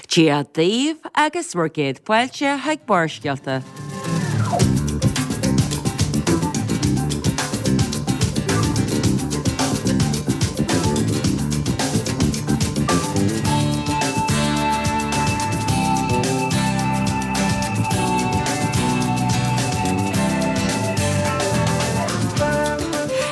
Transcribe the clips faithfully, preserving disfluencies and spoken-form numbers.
Dia daoibh agus bhur gcéad fáilte chuig Barrscéalta.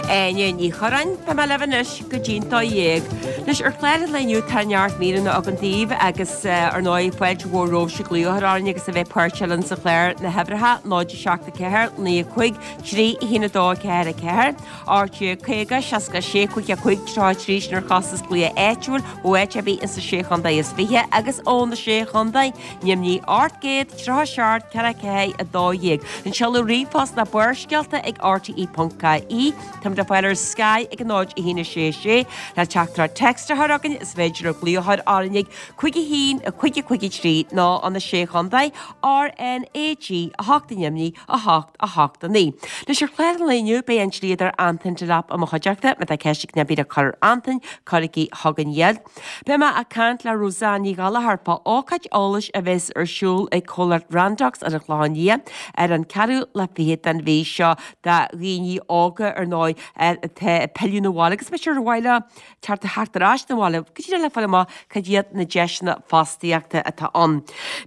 Áine Ní Churráin, Tá mé libh anois go dtí'n dó dhéag. Anois ar chlár an lae inniu tá neart míreanna agam daoibh agus ar ndóigh fáilte mhór romhaibhse glaoch a chur orainn agus a bheith páirteach linn sa chlár na huimhreacha náid a seacht a ceathair naoi a cúig trí a haon a dó a ceathair a ceathair, ocht déag caoga seasca a sé cúig a cúig tríocha a trí sin ar chostas glaoch áitiúil ó áit ar bith insa Sé Chontae is Fiche agus ó na Sé Chontae, Neimhní ocht gcéad tríocha a seacht ceathair a ceathair a dó dhéag. An seoladh ríomhphost ná barrscéalta ag rte ponc ie. Táimid le fáil ar Sky ag a náid a haon a sé sé le teachtaireacht text a chur chugainn is féidir libh glaoch a chur orainn ag cúig a haon a cúig a cúig a trí nó ó na Sé Chontae R N A G a hocht i Neimhní a hocht a hocht a naoi. Anois ar chlár an lae inniu beidh an dlíodóir Antain Delap i mo chuideachta. Má tá ceist ag duine ar bith le cur ar Antain, cuirigí chugainn iad. Beidh mé ag caint le Roseanne Ní Ghallchóir fá ócáid eolais a bheas ar siúl ag comhlacht Randox ar an Chlochán Liath ar an ceathrú lá fichead den mhí seo do dhaoine óga ar ndóigh atá ag pilleadh 'na bhaile agus b'fhéidir ar mhaith leo teacht theacht ar ais 'na bhaile go díreach le fáil amach cad iad na deiseanna fostaíochta atá ann.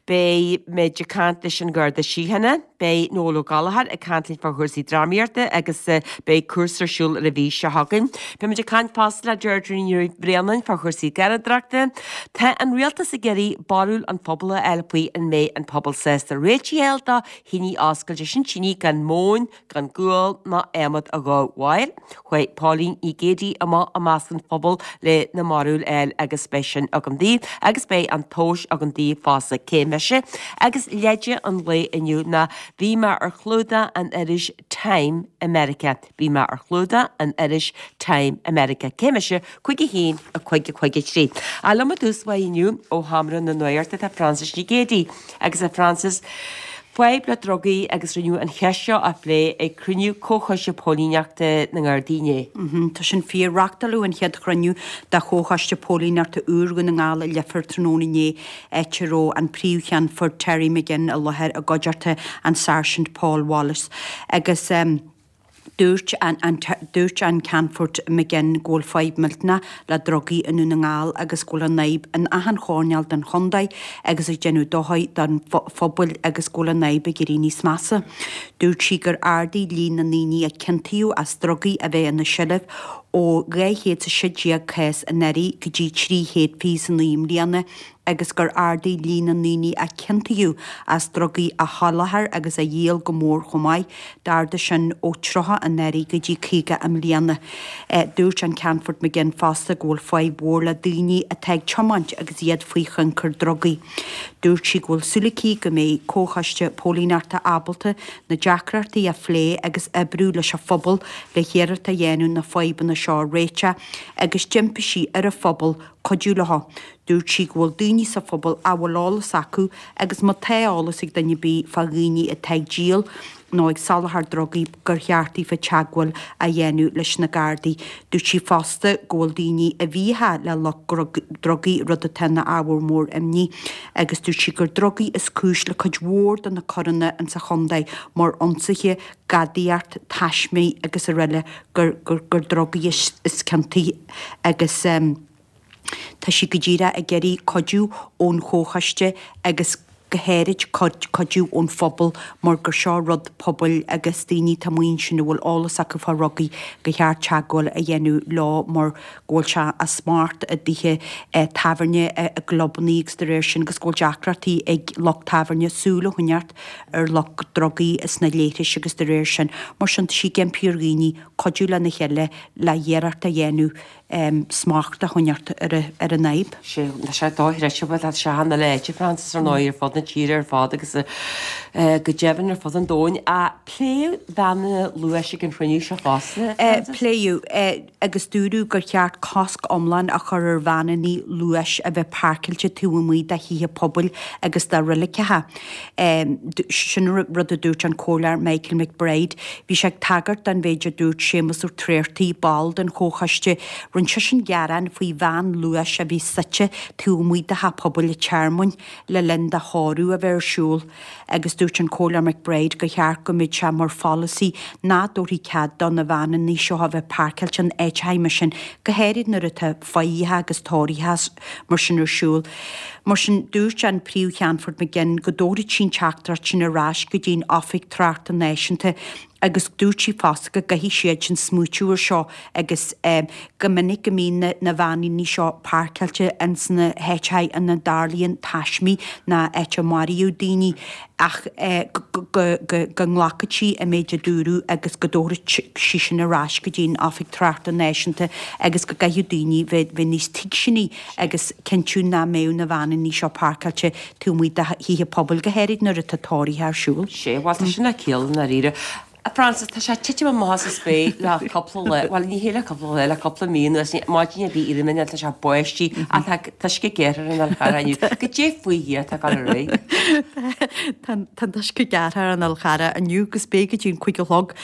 Beidh muid ag caint leis an Gharda Síochána, beidh Noel Ó Gallchóir ag caint linn fá chúrsaí drámaíochta agus beidh cúrsa ar siúl ar an mhí seo chugainn. Beidh muid ag caint fosta le Deirdre Ní Bhraonáin fá chúrsaí garraíodóireachta. Tá an rialtas ag iarraidh barúil an phobail a fháil faoi an mbeidh an pobal sásta réitigh a fháil do thine oscailte, sin tine gan móin, gan gual ná adhmad a dhó. Chuaigh Póilín Ní Chéidigh amach i measc an phobail le na barúil a fháil agus beidh sin agam daoibh agus beidh an tomhas agam daoibh fosta, cé mise? Agus leide an lae inniu ná bhí mé ar chlúdach an iris Time i Meiriceá. Bhí mé ar chlúdach an iris Time i Meiriceá. Cé mise? Cúig a haon, a cúig a cúig a trí. Ach liom i dtús báire inniu ó Sheomra na Nuachta tá Frances Ní Ghéidigh. Agus a Frances, fadhb le drugaí agus rinneadh an cheist seo a phlé ag cruinniú Comhchoiste Póilíneachta na nGardaí inné. Tá sin fíor. Reáchtáladh an chéad chruinniú de Chomhchoiste Póilíneachta úr Dhún na nGall i Leifear tráthnóna inné, áit a raibh an Príomh-Cheannfort Terry McGinn i láthair i gcuideachta an Sáirsint Paul Wallace agus dúirt an dúirt an Ceannfort McGinn go bhfuil fadhb millteanach le drugaí i nDún na nGall agus go bhfuil an fhadhb in achan choirnéal den chontae agus ag déanamh dochair don phobal agus go bhfuil an fhadhb ag éirí níos measa. Dúirt sí gur ardaigh líon na ndaoine a ciontaíodh as drugaí a bheith ina seilbh ó dhá chéad is a sé déag cás anuraidh go dtí trí chéad fiche is a naoi i mbliana agus gur ardaigh líon na ndaoine a ciontaíodh as drugaí a sholáthar agus a dhíol go mór chomh maith, d'ardaigh sin ó tríocha anuraidh go dtí caoga i mbliana. Dúirt an Ceannfort McGinn fosta go bhfuil fadhb mhór le daoine atá ag tiomáint agus iad faoi thionchar drugaí. Dúirt sí go bhfuil súil aici go mbeidh Comhchoiste Póilíneachta ábalta na deacrachtaí a phlé agus oibriú leis an phobal le hiarracht a dhéanamh na fadhbanna seo a réiteach agus d'impigh sí ar an phobal cuidiú leo. Dúirt sí go bhfuil daoine sa phobal a bhfuil eolas acu agus má tá eolas ag duine ar bith fá dhaoine atá ag díol nó ag soláthar drugaí gur cheart daofa teagmháil a dhéanamh leis na Gardaí. Dúirt sí fosta go bhfuil daoine i bhfiacha le lucht drugaí, rud atá ina ábhar mór imní agus dúirt sí gur drugaí is cúis le cuid mhór de na coireanna insa chontae mar ionsaithe, gadaíocht, taismí agus araile gur gur drugaí is ciontaí agus. Tá sí go díreach ag iarraidh cuidiú ón chomhchoiste agus go háirid cuidiú ón phobal mar gur seo rud pobail agus daoine atá amuigh ansin a bhfuil eolas acu fá dhrugaí gur cheart teagmháil a dhéanamh leo mar go bhfuil sé á smacht i dtithe tábhairne, i gclubannaí agus de réir sin agus go bhfuil deacrachtaí ag lucht tábhairne súil a choinneáilt ar lucht drugaí sna leithris agus de réir sin. Mar sin tá sí ag impí ar dhaoine cuidiú lena chéile le hiarracht a dhéanamh smacht a choinneáilt ar an fhadhb. Sé, tá sé dochreidte, bhuel tá sé ana leite, Frances, ar ndóigh, ar fud na tíre ar fad agus go deimhin ar fud an domhain. Ach Pléadh veaineanna luais ag an chruinniú seo fosta? Pléadh, agus dúradh gur cheart cosc iomlán a chur ar veaineanna luais a bheith páirceáilte taobh amuigh de thithe pobail agus de reiligeacha. Sin rud a dúirt an Comhairleoir Michael McBride. Bhí sé ag tagairt don mhéid a dúirt Séamus Ó Tréartaigh, ball den chomhchoiste. Rinne seisean gearán faoi veain luais a bhí suite taobh amuigh de theach pobail an Tearmainn le linn do thórramh a bheith ar siúl agus dúirt an Comhairleoir McBride gur cheart go mbeadh sé mar pholasaí nach dtabharfaí cead do na veaineanna seo a bheith páirceáilte in áiteacha mar sin, go háirid nuair atá faillithe agus tórraithe mar sin ar siúl. Mar sin, dúirt an Príomh-Cheannfort McGinn go dtabharfadh sí an teachtaireacht sin ar ais go dtí an Oifig Tráchta Náisiúnta agus dúirt sí fosta go gcaithfidh siad sin smaoitiú ar seo agus go minic go mbíonn na veainíní seo páirceáilte ins na háiteacha ina dtarlaíonn taismí ná áit a maraíodh daoine ach go nglacfadh sí an méid a dúradh agus go dtabharfadh sí sin ar ais go dtí an Oifig Tráchta Náisiúnta agus go gcaithfidh daoine bheith níos tuigseanaí agus cinntiú nach mbeadh na veainíní seo páirceáilte taobh amuigh de thithe pobail, go háirid nuair atá tórraithe ar siúl. Sé, bhuel tá sin le ciall i ndáiríre. A Frances, tá sé ag titim amach as an spéir le cúpla lá, bhuel ní hé le cúpla lá, le cúpla mí anuas, maidin ar bith éirím tá sé ag báistí ach tá an t-uisce gearrtha ar an Fhál Charrach inniu. Goidé faoi Dhia atá ag dul ar aghaidh? Tá an t-uisce gearrtha ar an Fhál Charrach inniu agus beidh go dtí an cúig a chlog.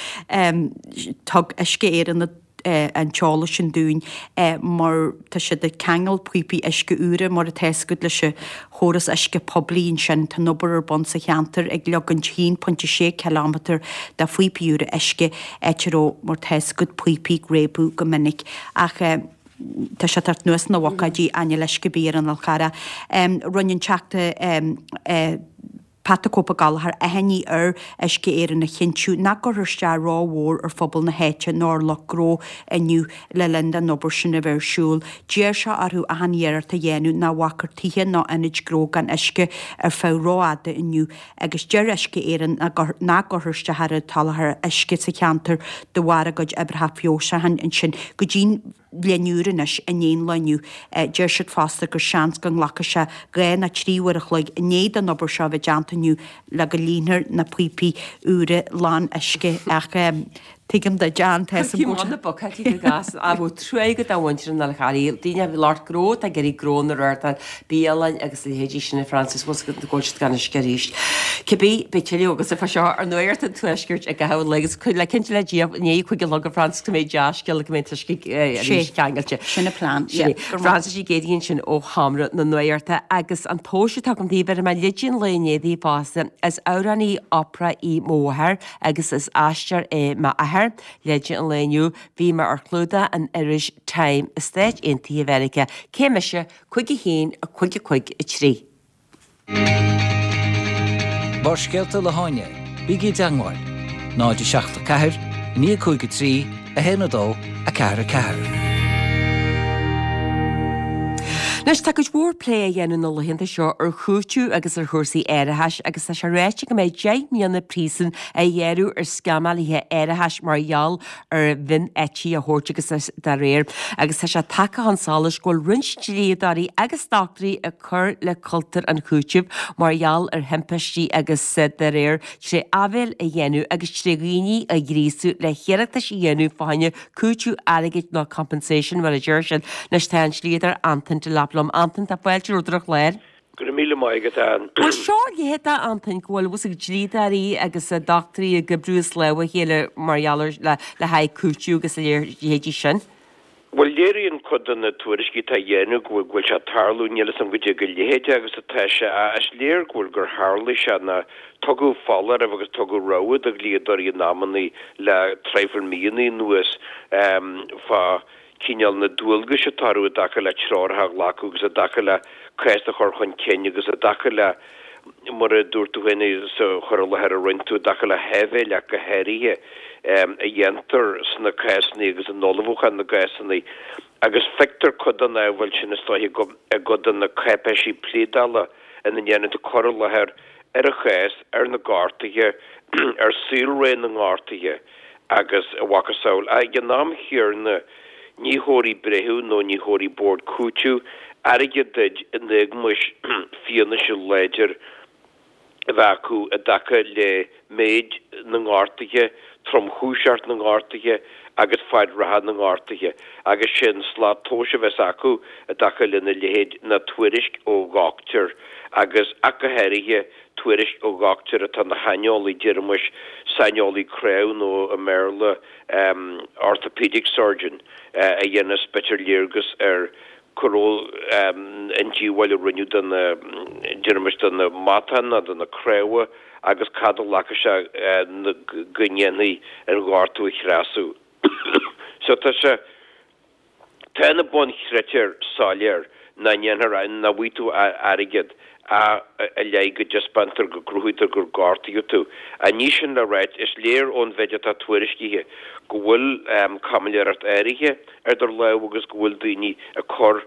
Thug Uisce Éireann an t-eolas sin dúinn mar tá siad ag ceangal píopaí uisce úra mar atá fhios agat leis an chóras uisce poiblí ansin. Tá an obair ar bun sa cheantar ag leagaint haon pointe sé cileámetar de phíopaí úra uisce, áit a raibh mar atá fhios agat píopaí ag réabadh go minic. Ach tá sé ag teacht anuas ina bhocáidí ach níl uisce ar bith ar an Fhál Charrach. Rinne an Teachta. Pat the Cope Ó Gallchóir achainí ar Uisce Éireann a chinntiú nach gcuirfear isteach rómhór ar phobal na háite nó ar lucht gnó inniu le linn don obair sin a bheith ar siúl. D'iarr sé orthu achan iarracht a dhéanamh nach bhfágfar tithe ná ionaid gnó gan uisce ar feadh rófhada inniu agus deir Uisce Éireann nach gcuirfear isteach ar an tsoláthar uisce sa cheantar de bharr a gcuid oibreacha feabhsúcháin ansin go dtí'n leath i ndiaidh anois i ndiaidh an lae inniu. Deir siad fosta gur seans go nglacfaidh sé dhá nó trí uair a chloig i ndiaidh don obair seo a bheith déanta inniu le go líonfar na píopaí úra lán uisce ach tuigim duit, Ann, tá Cúrsaí maith na bocáidí go gas á bhfuil trua agat do mhuintir an Fháil Charraigh, daoine a bhí lucht gnó atá ag iarraidh gnó na reáchtáil, bialann agus a leithéidí sin a Frances, bhfuil 's agat go bhfuil siad gan uisce arís. Cibé, beidh tuilleadh agatsa fá seo ar Nuacht an Tuaiscirt i gcaitheamh an lae agus le cinnte le Dia i ndiaidh cúig a chlog a Frances go mbeidh dea-scéala go mbeidh an t-uisce arís ceangailte. Sin an plean. Sin é. Frances Uí Ghéibheannaigh ansin ó Sheomra na Nuachta agus an tomhas atá agam daoibh bhéarfaidh mé leide an lae inné daoibh fosta. Is amhránaí opera í mo mháthair agus is aisteoir é m'athair. Leide an lae inniu, bhí mé ar chlúdach an iris Time i Stáit Aontaithe Mheiriceá. Cé mise? Cúig a haon, a cúig a cúig a trí. Barrscéalta le hÁine, bígí i dteangmháil, náid a seacht a ceathair, a naoi a cúig a trí, a haon a dó, a ceathair a ceathair. Anois, tá cuid mhór plé á dhéanamh na laethanta seo ar chúiteamh agus ar chúrsaí árachais agus tá sé ráite go mbeidh deich mbliana príosúin á ghearradh ar sceamálaithe árachais mar gheall ar mhioneití a thabhairt agus dá réir. Agus tá sé tagtha chun solais go bhfuil roinnt dlíodóirí agus dochtúirí ag cur le cultúr an chúitimh mar gheall ar thimpistí agus dá réir tré áibhéil a dhéanamh agus tré dhaoine a ghríosú le hiarratais a dhéanamh fá choinne cúiteamh airgid nó compensation mar a deir siad. Anois tá an dlíodóir Antain Delap liom. Antain, tá fáilte romhat ar an chlár. Go raibh míle maith agat, Ann. Bhuel seo leithéid, Antain, go bhfuil bhfuil dlíodóirí agus dochtúirí ag oibriú as lámha a chéile mar gheall ar le le haghaidh cúiteamh agus a leithéidí sin. Bhuel, léiríonn cuid de na tuairiscí atá á dhéanamh go bhfuil go bhfuil sé ag tarlú, níl 'fhios a'm goidé chomh leitheadach agus atá sé, ach is léir go bhfuil gur tharlaigh sé ná tugadh foláireamh agus tugadh rabhadh do dhlíodóirí in amannaí le traidhfil míonna anuas fá chineál na dualgais atá orthu i dtaca le treoracha a ghlacadh agus i dtaca le cás a chur chun cinn agus i dtaca le, mar a dúirt tú féin sa chur i láthair a rinne tú, i dtaca le háibhéil ach go háirithe, a dhéantar sna cásanna agus in ullmhúchán na gcásanna. Agus feictear cuid den áibhéil sin is dóiche i gcuid de na cáipéisí pléadála ina ndéanann tú cur i láthair ar an chás, ar na gortuithe, ar saolré na ngortuithe agus a mhacasamhail. Ach ag an am chéanna, ní thabharfaidh breitheamh nó ní thabharfaidh bord cúitimh airgead duit in éagmais fianaise láidir a bheith acu i dtaca le méid na ngortuithe, tromchúiseacht na ngortuithe agus fad reatha na ngortuithe, agus sé an slat tomhais a bheas acu i dtaca lena leithéid ná tuairisc ó dhochtúir agus, ach go háirithe, tuairisc ó dhochtúir atá ina shaineolaí, déarfaimis, saineolaí cnámh nó i mBéarla orthopaedic surgeon, a dhéanfas b'fhéidir léargas ar cá raibh an díobháil a rinneadh do na, déarfaimis, do na matáin nó do na cnámha agus cad a ghlacfaidh sé go ndéanfaí an gortú a thrasú. So tá sé, tá na bunchritéir soiléir nach ndéanfar, nach bhfaighidh tú airgead ach i leith go dtaispeántar, go gcruthaítear gur gortaíodh tú. Ach ní sin le ráit, is léir ón mhéid atá tuairiscithe go bhfuil caimiléireacht áirithe ar idir lámha agus go bhfuil daoine ag cur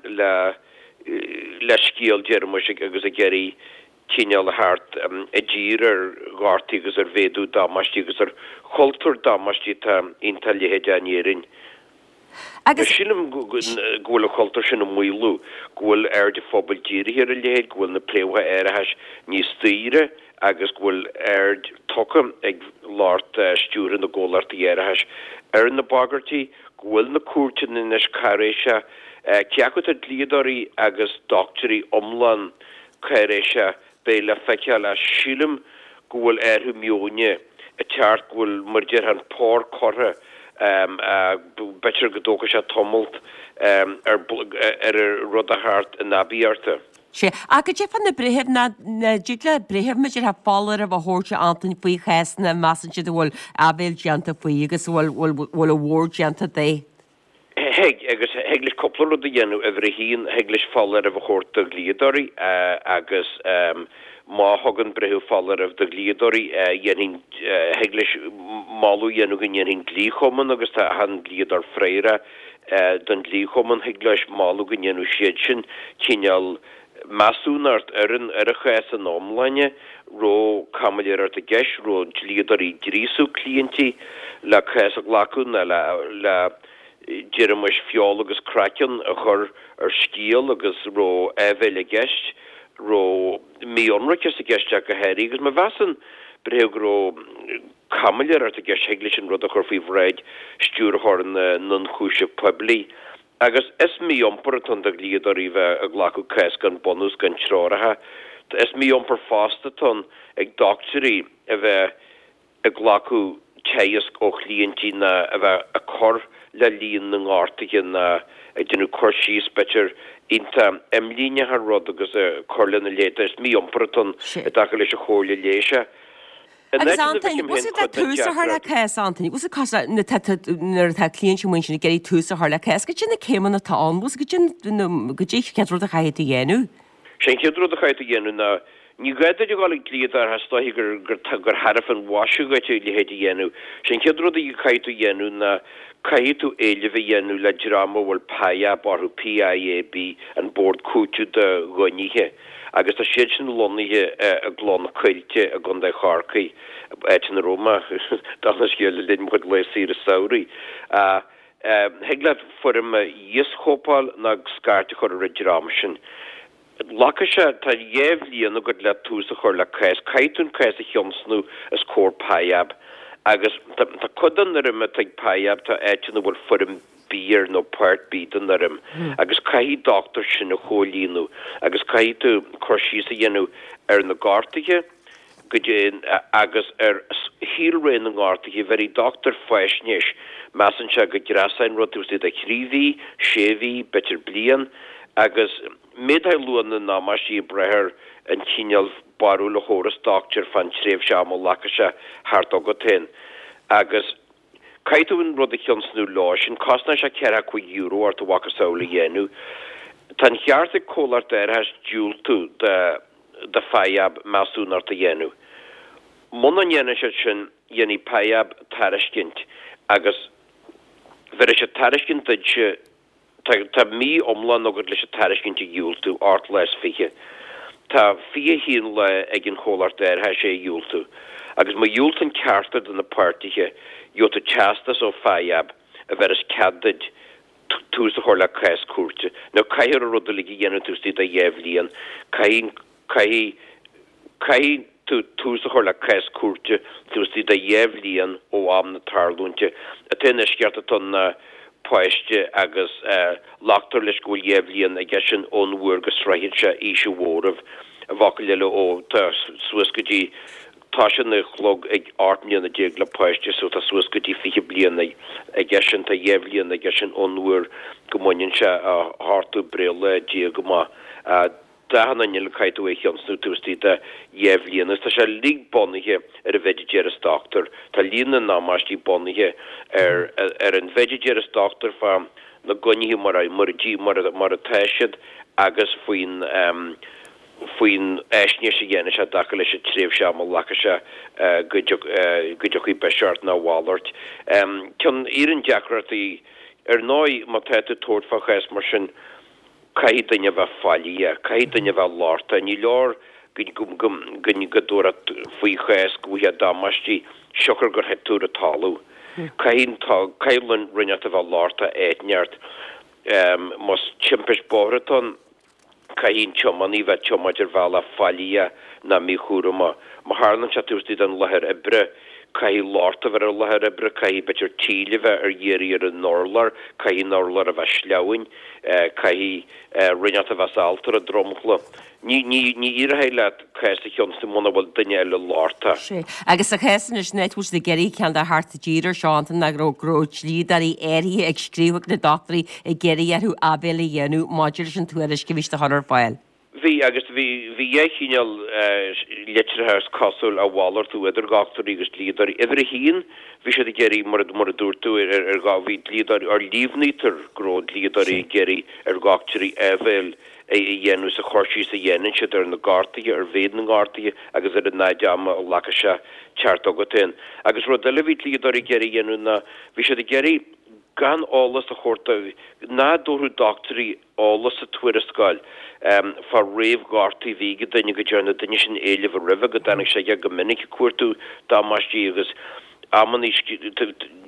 le le scéal, déarfaimis, agus ag iarraidh cineál a theacht i dtír ar ghortuithe agus ar mhéadú damáistí agus ar chultúr damáistí atá iontach leitheadach in Éirinn. Agus. Sílim go bhfuil an cultúr sin ag maolú, go bhfuil aird an phobail dírithe ar a leithéid, go bhfuil na préamhacha árachais níos daoire agus go bhfuil aird tugtha ag lucht stiúrtha na gcomhlachtaí árachais ar na bagairtí, go bhfuil na cúirteanna anois cáiréiseach, cé acu atá dlíodóirí agus dochtúirí iomlán cáiréiseach, beidh le feiceáil ach sílim go bhfuil athrú meoin ag teacht, go bhfuil, mar a déarfá, an pár curtha, b'fhéidir go dtógfaidh sé tamalt ar ar an rud a theacht in aibíocht. Sea. Ach goidé fá na breithimh, nach dtig le breitheamh mar a déarfá foláireamh a thabhairt a Antain faoi chásanna a measann siad a bhfuil áibhéil déanta faoi agus a bhfuil bhfuil a mhór déanta de? Thig, agus thig leis cúpla rud a dhéanamh. Uimhir a haon, thig leis foláireamh a thabhairt do dhlíodóirí agus má thugann breitheamh foláireamh do dhlíodóirí, dhéanfainn, thig leis moladh a dhéanamh go ndéanfaidh an Dlí-Chumann, agus tá achan dlíodóir freagrach don Dlí-Chumann, thig leis moladh go ndéanfadh siad sin cineál measúnacht ar an ar an chás ina iomláine, raibh caimiléireacht i gceist, raibh dlíodóirí ag gríosú cliaintí le cás a ghlacadh nó le le déarfaimis feoil agus craiceann a chur ar scéal agus raibh áibhéil i gceist, raibh mí-ionraiceas i gceist ach go háirithe agus má mheasann breitheamh go raibh caimiléireacht i gceist thig leis an rud a chur faoi bhráid Stiúrthóir na nIonchúiseamh Poiblí. Agus is mí-iompar atá ann do dhlíodóirí bheith ag glacadh cás gan bunús, gan treoracha. Is mí-iompar fosta atá ann ag dochtúirí a bheith ag glacadh teaghais ó chliaintí ná a bheith ag cur le líon na ngortuithe ná ag déanamh cur síos, b'fhéidir, iontach imlíneach ar rud agus ag cur lena leithéid. Is mí-iompar atá ann i dtaca leis an chomhairle leighis. In Agus áit ina Antain, bhfeicim bhfuil féin siad le cuid den tús a chur le deacracht. cás, Antain? Bhfuil siad cosúil le nuair atá nuair atá cliaint amuigh ansin ag iarraidh tús a chur le cás, goidé na céimeanna atá ann, bhfuil goidé goidé an chéad rud a chaithfidh tú a dhéanamh? Sé an chéad rud a chaithfidh tú a dhéanamh ná, ní gá duit a dhul ag dlíodóir, is dóiche gur gur gur thairbhe an mhaise dhuit a leithéid a dhéanamh. Sé an chéad rud a chaithfidh tú a dhéanamh ná caithfidh tú éileamh a dhéanamh le dream a bhfuil PIAB orthu, P I A B, an Bord Cúitimh do Dhaoine. Agus tá siad sin lonnaithe i gCloich na Coillte i gContae Chorcaí, áit ina raibh mé, dála an scéil, le linn mo chuid laetha saoire samhraidh. Thig leat foirm a íoschóipeáil nó scairt a chur ar an dream sin. Glacfaidh sé, tá dhá bhliain agat le tús a chur le cás. Caithfidh tú an cás a thionscnamh os comhair PIAB. Agus tá cuid den fhoirm atá ag PIAB, tá áit ina bhfuil foirm B air nó Part B den fhoirm agus caithfidh dochtúir sin a chomhlíonadh agus caithfidh tú cur síos a dhéanamh ar na gortuithe go dtí agus ar shaolré na ngortuithe. Bhéarfaidh dochtúir faisnéis, measann sé go dtrasóidh an rud taobh istigh de thrí mhí, sé mhí, b'fhéidir bliain agus méadóidh luach na ndamáistí ag brath ar an chineál barúil a thabharfas dochtúir fán tréimhse ama a ghlacfaidh sé thart agat féin agus Caithfidh tú an rud a thionscnú leo sin, cosnóidh sé ceathracha cúig euro ort a mhacasamhail a dhéanamh. Tá an cheart ag comhlacht árachais diúltú do do PIAB measúnacht a dhéanamh. Muna ndéanann siad sin, dhéanfaidh PIAB tairiscint agus bhéarfaidh siad tairiscint duitse, Tá tá mí iomlán agat leis an tairiscint a dhiúltú, ocht lá is fiche. Tá fiche a haon lá ag an chomhlacht árachais é a dhiúltú. Agus má dhiúltaíonn ceachtar de na páirtithe, gheobhaidh tú teastas ó PIAB a bhéarfas cead duit tús a chur le cás cúirte. Now caithfear an rud uilig a dhéanamh taobh istigh de dhá bhliain. Caithfidh caithfidh Caithfidh tú tús a chur le cás cúirte taobh istigh de dhá bhliain ó am na tarlúinte. An t-aon eisceacht atá ann ná páiste agus glactar leis go bhfuil dhá bhliain aige sin ón uair go sroicheann sé aois an mhóraimh. I bhfocail eile, ó tá suas go dtí toisíonn an clog ag ocht mbliana déag le páiste so tá suas go dtí fiche bliain aige sin, tá dhá bhliain aige sin ón uair go mbaineann sé a hochtú breithlá déag amach. D'achan duine eile caithfidh tú é a thionscnamh taobh istigh de dhá bhliain agus tá sé uilig bunaithe ar an mhéid a déarfas dochtúir. Tá líon na ndamáistí bunaithe ar ar an mhéid a déarfas dochtúir fá na gnoithe mar a mar a mar atá siad agus faoin faoin fhaisnéis a dhéanann sé i dtaca leis an tréimhse ama a ghlacfaidh sé go go dtiocfaidh biseach ort nó a mhalairt. Ceann de na deacrachtaí ar ndóigh má tá tú ag tabhairt fá chás mar sin, Caithfidh duine a bheith faillíoch, caithfidh duine a bheith lochtach, ní leor go dtabharfá faoi chás go bhfaighfeá damáistí siocair gur thit tú ar an talamh. Caithfidh caithfidh rud inteacht a bheith lochtach áit inteacht. Más timpist bóthair atá ann, caithfidh an tiománaí bheith ag tiomáint ar bhealach faillíoch ná míchúramach. Má tharlaíonn sé taobh istigh den láthair oibre, caithfidh locht a bheith ar an láthair oibre, caithfidh b'fhéidir tíl a bheith ar iarraidh ar an urlár, caithfidh an urlár a bheith sleamhain, caithfidh rud inteacht a bheith sábhálta ar an dromchla. Ní, ní, ní éireoidh leat cás a thionscnamh muna bhfuil duine eile lochtach. Sea. Agus sa chás anois, an áit a bhfuil siad ag iarraidh ceann de theacht i dtír ar seo, Antain, ná go raibh, go raibh dlíodóirí áirithe ag scríobh chuig na dochtúirí ag iarraidh orthu áibhéil a dhéanamh maidir leis an tuairisc a bhí siad a chur ar fáil. Bhí, agus bhí, bhí dhá chineál litreacha is cosúil á mhalartú idir dhochtúirí agus dlíodóirí. Uimhir a haon, bhí siad ag iarraidh, mar a, mar a dúirt tú, ar, ar, ar, bhí dlíodóirí, or líomhnaítear go raibh dlíodóirí ag iarraidh ar dhochtúirí áibhéil a dhéanamh sa chur síos a dhéanann siad ar na gortuithe, ar mhéid na ngortuithe agus ar an fhad ama a ghlacfaidh sé teacht chugat féin. Agus rud eile a bhí dlíodóirí ag iarraidh a dhéanamh ná, bhí siad ag iarraidh gan eolas a thabhairt do, nach dtabharfadh dochtúirí eolas sa tuarascáil fá réamhghortuithe a bhí ag duine, go ndearna an duine sin éileamh roimhe, go dtáinig sé aige go minic ag cuartú damáistí agus amannaí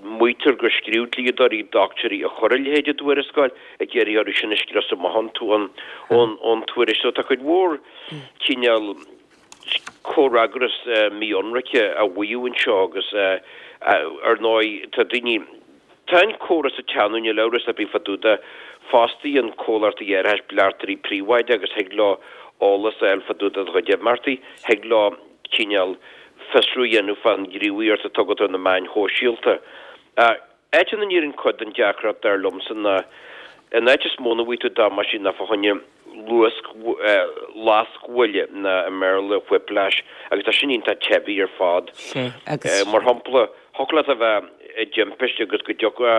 maítear gur scríobh dlíodóirí dochtúirí a chuir a leithéid i dtuarascáil ag iarraidh orthu sin a scrios amach ón tuairisc. So tá cuid mhór cineál comhfhreagras mí-ionraice á mhaíomh anseo agus ar ndóigh tá daoine, Tá an córas ag teannadh, níl amhras ar bith fá dtaobh de. Fostaíonn comhlachtaí árachais bleachtairí príobháideacha agus thig leo eolas a fháil fá dtaobh de do chuid imeachtaí. Thig leo cineál fiosrú a dhéanamh fán ghníomhaíocht atá agat ar na meáin shóisialta. Áit ina n-éiríonn cuid den deacracht, dar liomsa, ná an áit is mó ina bhfaighidh tú damáistí ná fá choinne luasc, lascbhuille, nó i mBéarla whiplash, agus tá sin iontach teibí ar fad. Mar shampla, thiocfadh leat a bheith i dtimpiste agus go dtiocfá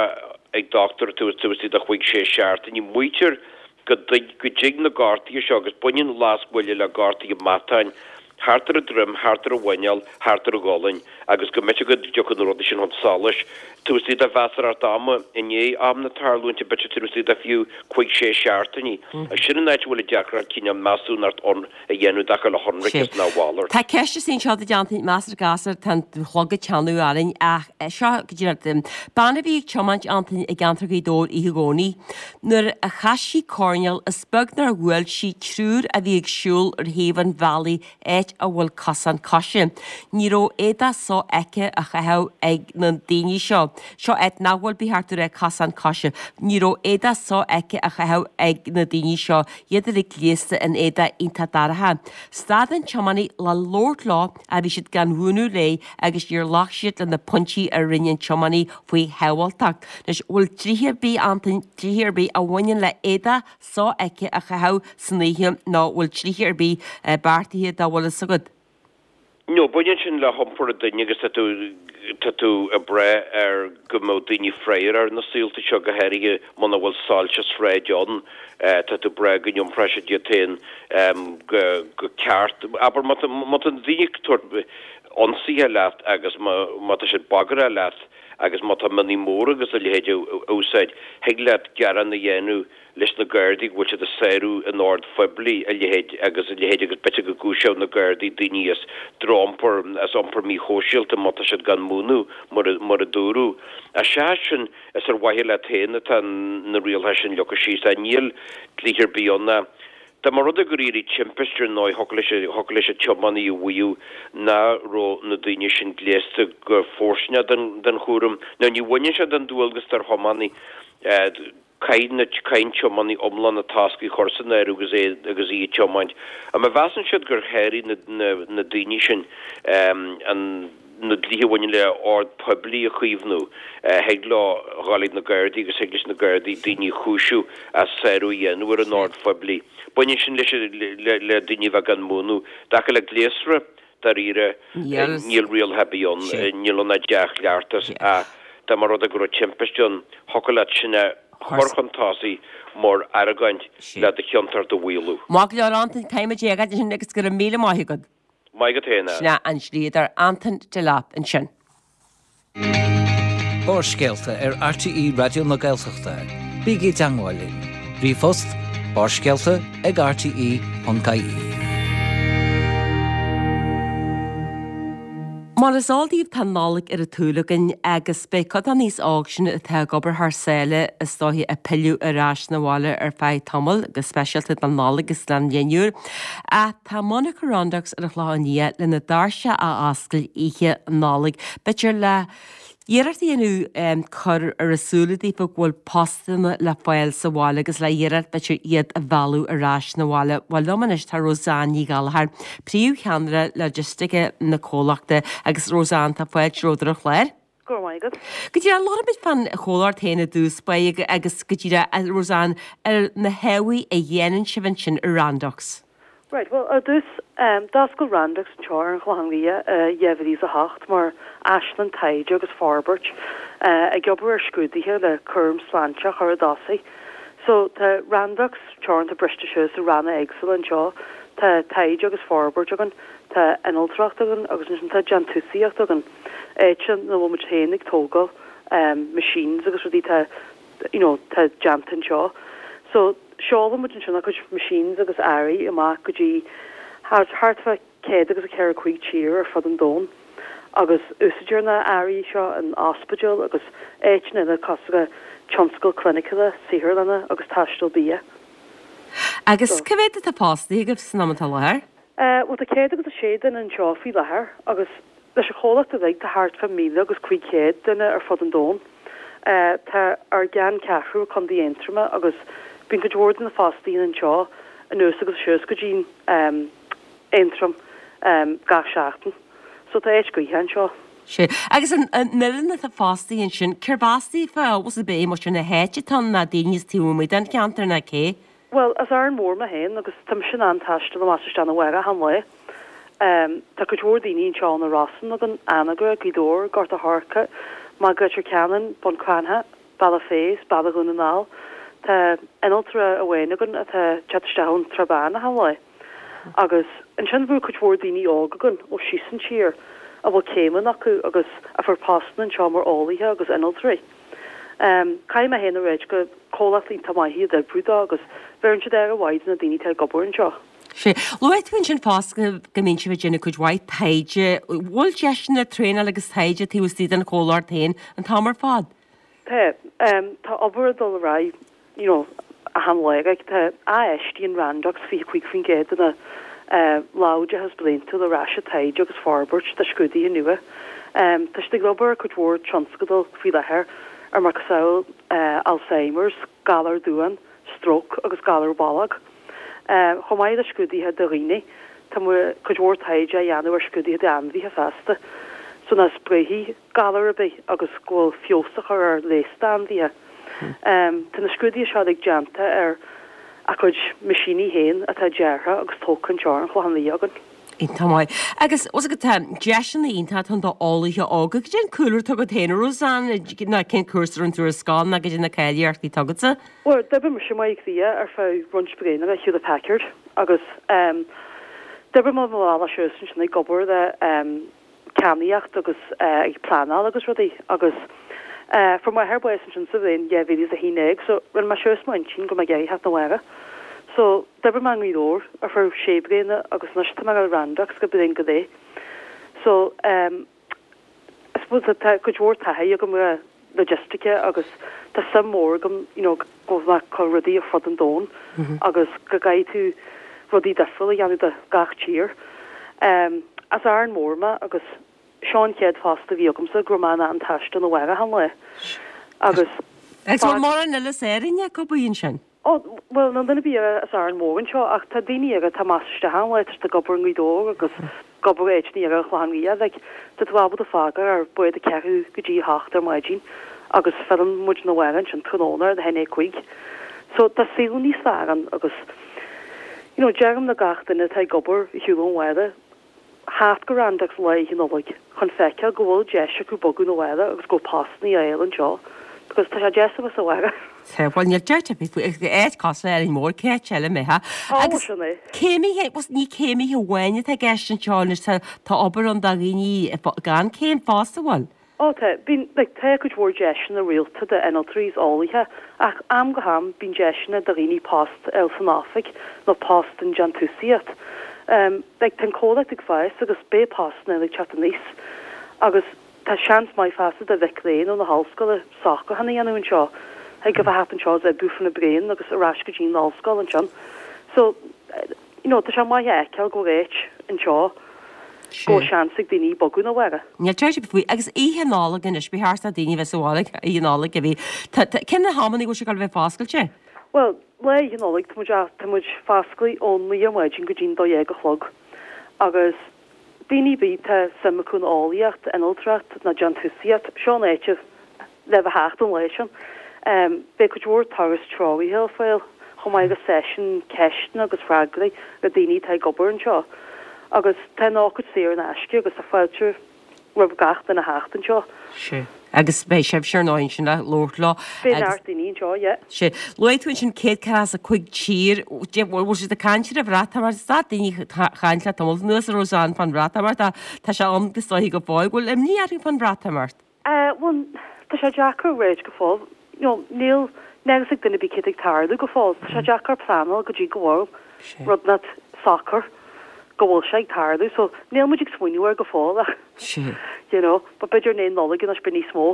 ag dochtúir taobh istigh de chúig sé seachtainí. Maítear go dtig na gortuithe seo, agus baineann lascbhuille le gortuithe matáin, thart ar an droim, thart ar an mhuineál, thart ar an gcolainn, agus go mb'fhéidir go dtiocfadh na rudaí sin chun solais taobh istigh de mheasarthacht ama i ndiaidh am na tarlúinte, b'fhéidir taobh istigh de fiú cúig sé seachtainí. Agus sin an áit a bhfuil an deacracht cineál measúnacht a dhéanamh i dtaca le hionraiceas nó a mhalairt. Tá ceist istigh anseo duit Antain, measartha gasta, tá an clog ag teannadh orainn ach seo go díreach bean a bhí ag tiomáint Antain i gceantar Ghaoth Dobhair oíche Dhomhnaigh nuair a chas sí coirnéal is beag nár bhuail sí triúr a bhí ag siúl ar thaobh an bhealaigh áit a bhfuil cosán coise. Ní raibh éadach sofheicthe á chaitheamh ag na daoine seo. Seo áit nach bhfuil ba cheart go raibh cosán coise. Ní raibh éadach sofheicthe á chaitheamh ag na daoine seo, iad uilig gléasta in éadach iontach dorcha. Stad an tiománaí le labhairt leo ach bhí siad gan mhúineadh léi agus níor ghlac siad le na pointí a rinne an tiománaí faoi shábháilteacht. Anois, bhfuil dlíthe ar bith, Antain, dlíthe ar bith a bhaineann le éadach sofheicthe a chaitheamh san oíche nó bhfuil dlíthe ar bith beartaithe dá bhfuil fhios agat? No, baineann sin le hiompar an duine agus tá tú, tá tú ag brath ar go mbeadh daoine freagrach ar na saolta seo, go háirithe muna bhfuil soilse sráide ann, tá tú ag brath go n-iompróidh siad iad féin go, go ceart. Abair, má tá, má tá na daoine ag tabhairt ionsaithe leat agus má, má tá siad bagarthach leat agus má tá mionnaí móra agus a leithéid á úsáid, thig leat gearán a dhéanamh leis na Gardaí go bhfuil siad ag sárú an oird phoiblí, a leithéid agus a leithéid agus b'fhéidir go gcúiseodh na Gardaí daoine as drochiompar, as iompar míshóisialta má tá siad gan múineadh, mar a, mar a dúradh. Ach seachas sin, is ar mhaithe leat féin atá na rialacha sin leagtha síos. Níl dlíthe ar bith ann. Dá mba rud é gur éirigh timpiste ar ndóigh thiocfadh leis thiocfadh leis an tiománaí a mhaíomh nach raibh na daoine sin gléasta go fóirsteanach don don chúram. Now ní bhaineann sé den dualgas ar thiománaí caithfidh na caithfidh an tiománaí iomlán na táscaí a chur san áireamh agus é agus í ag tiomáint. Ach má mheasann siad gur sháraigh na na na daoine sin an na dlíthe a bhaineann le ord poiblí a chaomhnú, thig leo dhul ag na Gardaí agus thig leis na Gardaí daoine a chúiseamh as sárú a dhéanamh ar an ord phoiblí. Baineann sin leis le le daoine a bheith gan múnú. I dtaca le gléasra, dáiríre, níl rialacha ar bith ann, níl ann ach dea-chleachtas ach dá mba rud é go raibh timpiste ann, thiocfadh leat sin a chur chun tosaigh mar argóint le do chiontacht a mhaolú. Maith go leor Antain, caithfidh muid é a fhágáil ansin agus go raibh míle maith agat. Maith agat féin. Sin é an dlíodóir Antain Delap ansin. Barrscéalta ar RTÉ Raidió na Gaeltachta. Bígí i dteagmháil linn. Ríomhphost, barrscéalta ag rte ponc ie. Mar is eol daoibh tá an Nollaig ar an tsúil againn agus beidh cuid den aos óg sin atá ag obair thar sáile is dóiche ag pilleadh ar ais 'na bhaile ar feadh tamaill, go speisialta don Nollaig agus don Bhliain Úr. Ach tá monarcha Randox ar an Chlochán Liath lena doirse a oscailt oíche Nollag, b'fhéidir le iarracht a dhéanamh cur ar a súile daofa go bhfuil postanna le fáil sa bhaile agus le iarracht b'fhéidir iad a mhealladh ar ais 'na bhaile. Bhuel liom anois tá Roseanne Ní Ghallchóir, príomhcheannaire logistice na comhlachta agus Roseanne tá fáilte romhat ar an chlár. Go raibh maith agat. Go díreach, labhróimid fán chomhlacht féin i dtús báire agus go díreach, Roseanne, ar na hábhair a dhéanann sibh ansin i Randox. Right, bhuel, ar dtús, d'oscail Randox anseo ar an Chlochán Liath i dhá mhíle is a hocht mar áislann taighde agus forbairt, ag obair ar scrúduithe le cúram sláinte a chur i dtosaigh. So, tá Randox teoranta briste suas i ranna éagsúla anseo, tá taighde agus forbairt againn, tá innealtóireacht againn agus ansin tá déantúsaíocht againn, áit ina bhfuil muid féin ag tógáil machines agus rudaí atá you know, tá déanta anseo. So, seolann muid ansin ár gcuid machines agus earraí amach go dtí thart thart fá céad agus a ceithre cúig tír ar fud an domhain agus úsáidtear na earraí seo in ospidéil agus áiteanna eile cosúil le tionscal cliniciúla, saotharlanna agus taisteal bia. Agus cá mhéad atá fostaithe agaibh san am atá i láthair? Eh, bhuel tá céad agus a sé duine anseo faoi láthair agus leis an chomhlacht uilig tá thart fá míle agus cúig chéad duine ar fud an domhain. Tá ár gceanncheathrú i Contae Aontroma agus bíonn cuid mhór de na fostaithe anseo anuas agus suas go dtí Aontroim gach seachtain. So tá áit gaoithe anseo. Sea. Agus an fhoireann atá fostaithe ansin, cérb as daofa? Bhfuil a fhios agat muintir na háite atá ann ná daoine as taobh amuigh den cheantar ná cé? Bhuel, as Árainn Mhór mé féin agus tá mise in ann taisteal amach is isteach 'na bhaile achan lá. Tá cuid mhór daoine anseo ó na Rosann againn, Anagaire, Gaoth Dobhair, Gort a' Choirce, Maigh Leitir Ceanainn, Bun Cranncha, Bealach Féich, Baile Dhún na nGall. Tá innealtóir amháin againn atá ag teacht isteach ón Srath Bán achan lá. Agus ansin bhfuil cuid mhór daoine óga againn ó síos an tír a bhfuil céimeanna acu agus a fuair postanna anseo mar eolaithe agus innealtóirí. Caithfidh mé féin a ráit gur comhlacht iontach maith iad oibriú dó agus bheireann siad aire mhaith do na daoine atá ag obair anseo. Sea. Luaigh tú ansin fosta go mbíonn sibh ag déanamh cuid mhaith taighde. Bhfuil deiseanna traenála agus taighde taobh istigh den chomhlacht féin an t-am ar fad? Tá. Tá obair ag dul ar aghaidh you know achan lá. Like tá infheistíonn Randox fiche cúig faoin gcéad de na láimhdeachas bliantúil ar ais i taighde agus forbairt de scrúduithe nua. Tá siad ag obair ar cuid mhór tionscadal faoi láthair ar macasamhail Alzheimer's, galar duán, stróc agus galar bolg. Chomh maith le scrúduithe do dhaoine, tá cuid mhór taighde á dhéanamh ar scrúduithe d'ainmhithe feasta, so nach spréifidh galar ar bith agus go bhfuil feabhas á chur ar leigheas d'ainmhithe. Tá na scrúduithe seo uilig déanta ar a gcuid meaisíní féin atá deartha agus tógtha anseo ar an Chlochán Liath againn. Iontach maith. Agus bhfuil a fhios agat tá deiseanna iontacha ann d'eolaithe óga. Cad é an cúlra atá agat féin, a Roseanne, ná cén cúrsa a rinne tú ar scoil ná cad é na cáilíochtaí atá agatsa? Bhuel, d'oibrigh mise i mBaile Átha Cliath ar feadh roinnt bliana le Hewlett Packard agus d'oibrigh mé mo bhealach suas ansin ag obair le ceannaíocht agus ag pleanáil agus rudaí agus fuair m'athair bás ansin sa bhliain dhá mhíle is a haon déag so rinne mé suas m'intinn go mbeadh ag iarraidh theacht 'na bhaile. So d'oibrigh mé i nGaoth Dobhair ar feadh sé bliana agus anois tá mé le Randox go bliain go leith. So I suppose tá cuid mhór taithí agam le logistice agus tá suim mór agam you know go bhfuil mé ag cur rudaí ar fud an domhain agus go gcaithfidh tú rudaí difriúla a dhéanamh do gach tír. Um, as Árainn Mhór mé agus seo an chéad phost a bhí agamsa go raibh mé in ann taisteal na bhaile achan lá. Agus Agus bhfuil mórán eile as Árainn ag obair ansin? Ó, bhuel, níl duine ar bith eile as Árainn Mhór anseo ach tá daoine eile atá amach is isteach ann, tá siad ag obair i nGaoth Dobhair agus ag obair áiteanna eile ar an Chlochán Liath, like, tá tú ábalta fágáil ar bád a ceathrú go dtí a hocht ar maidin agus filleann muid na bhaile ansin tráthnóna ar a haon déag cúig. So tá saol níos fearr ann agus you know, deirim le gach duine atá ag obair ar shiúl ón bhaile, theacht go Randox lá Oíche Nollag chun feiceáil go bhfuil deis acu bogadh na bhaile agus go bhfuil postanna ar fáil anseo because tá sé deas a bheith sa bhaile. Tá, bhuel níl dabht ar bith faoi, áit cosúil le Árainn Mhór, cá háit eile a mbeifeá. Ó, Agus sin é. céimithe, bhuel ní céimithe amháin atá i gceist anseo anois, tá tá obair ann do dhaoine gan céim fosta, bhfuil? Ó tá, bíonn, like, tá cuid mhór deiseanna rialta d'innealtóirí is eolaithe ach am go ham bíonn deiseanna do dhaoine post a fháil san oifig nó post in déantúsaíocht. Um, like, tá an comhlacht ag fás agus beidh postanna eile ag teacht aníos agus tá seans maith fosta do mhic léinn ó na hollscoile socrúchán a dhéanamh anseo. Thig a bheith thart anseo is oibriú faoi na bliain agus ar ais go dtí an ollscoil ansin. So, you know, tá sé maith a fheiceáil go bhfuil áit anseo go bhfuil seans ag daoine bogadh na bhaile. Níl dabht ar bith faoi. Agus Oíche Nollag anois, ba cheart do daoine bheith sa bhaile Oíche Nollag a bhí. Cén na hamanna go bhfuil sé ag dul a bheith foscailte? Bhuel, lá Oíche Nollag tá muid tá muid foscailte ó naoi ar maidin go dtí'n dó dhéag a chlog. Agus daoine ar bith tá suim acu in eolaíocht, innealtóireacht nó déantúsaíocht, seo an áit le bheith theacht an lá sin. Um, beidh cuid mhór turas treoraithe ar fáil chomh maith agus seisiún ceisteanna agus freagraí le daoine atá ag obair anseo. Agus tá an ócáid saor in aisce agus tá fáilte roimh gach duine theacht anseo. Sea. Agus beidh sibhse ar ndóigh ansin le labhairt leo. Beidh neart daoine anseo, yeah. Sea. Luaigh tú ansin céad ceathracha is a cúig tír. Bhfuil siad ag caint ar an Bhreatimeacht? Is dá daoine chaint le tamall anuas a Roseanne fán Bhreatimeacht. Tá sé ann go stoiche go fóill. Bhfuil imní orthu fán Bhreatimeacht? Uh, bhuel, tá sé deacair a ráit go fóill. You know, níl níl a fhios ag duine ar bith céard ag tarlú go fóill. Tá sé deacair pleanáil go dtí go bhfuil rud not socair go bhfuil sé ag tarlú. So níl muid ag smaoineamh air go fóill ach Sea. you know, but b'fhéidir i ndiaidh Nollag anois beidh níos mó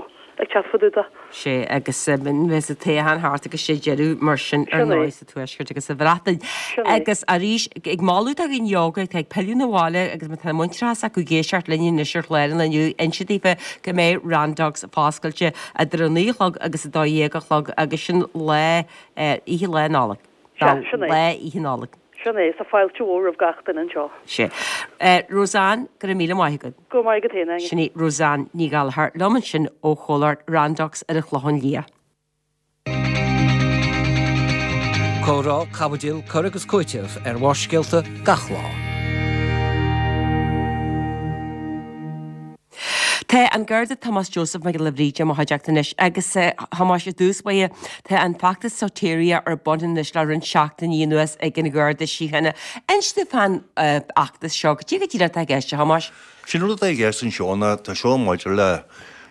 ag teacht fá dtaobh de. Sea, agus bheith sa toghchán thart agus sé deireadh mar sin ar Sin é. ndóigh sa Tuaisceart agus sa Bhreatain. Sin é. Agus arís ag moladh do dhaoine óga atá ag pilleadh na bhaile agus má tá muintearas acu ag éisteacht linn anois ar chlár an lae inniu, inse daofa go mbeidh Randox foscailte idir a naoi a chlog agus a dó dhéag a chlog agus sin lá eh, oíche lá Nollag. Sea, sin é. Lá Oíche Nollag. Sin é, tá fáilte mhór roimh gach duine anseo. Sea. Eh, Roseanne, go raibh míle maith agat. Go maith agat féin, Áine. Sin í Roseanne Ní Ghallchóir liom ansin ó chomhlacht Randox ar an Chlochán Liath. Comhrá, caibidil, cur agus cúiteamh ar Bharrscéalta gach lá. Tá an Garda Tomás Joseph Mac Giolla Bhríde i mo chuideachta anois agus eh, Thomáis i dtús báire tá an feachtas Soteria ar bun anois le roinnt seachtainí anuas ag an Gharda Síochána. Inis dúinn fán eh, fheachtas seo, cad é go díreach atá i gceist, a Thomáis. Sin rud atá i gceist anseo ná tá seo maidir le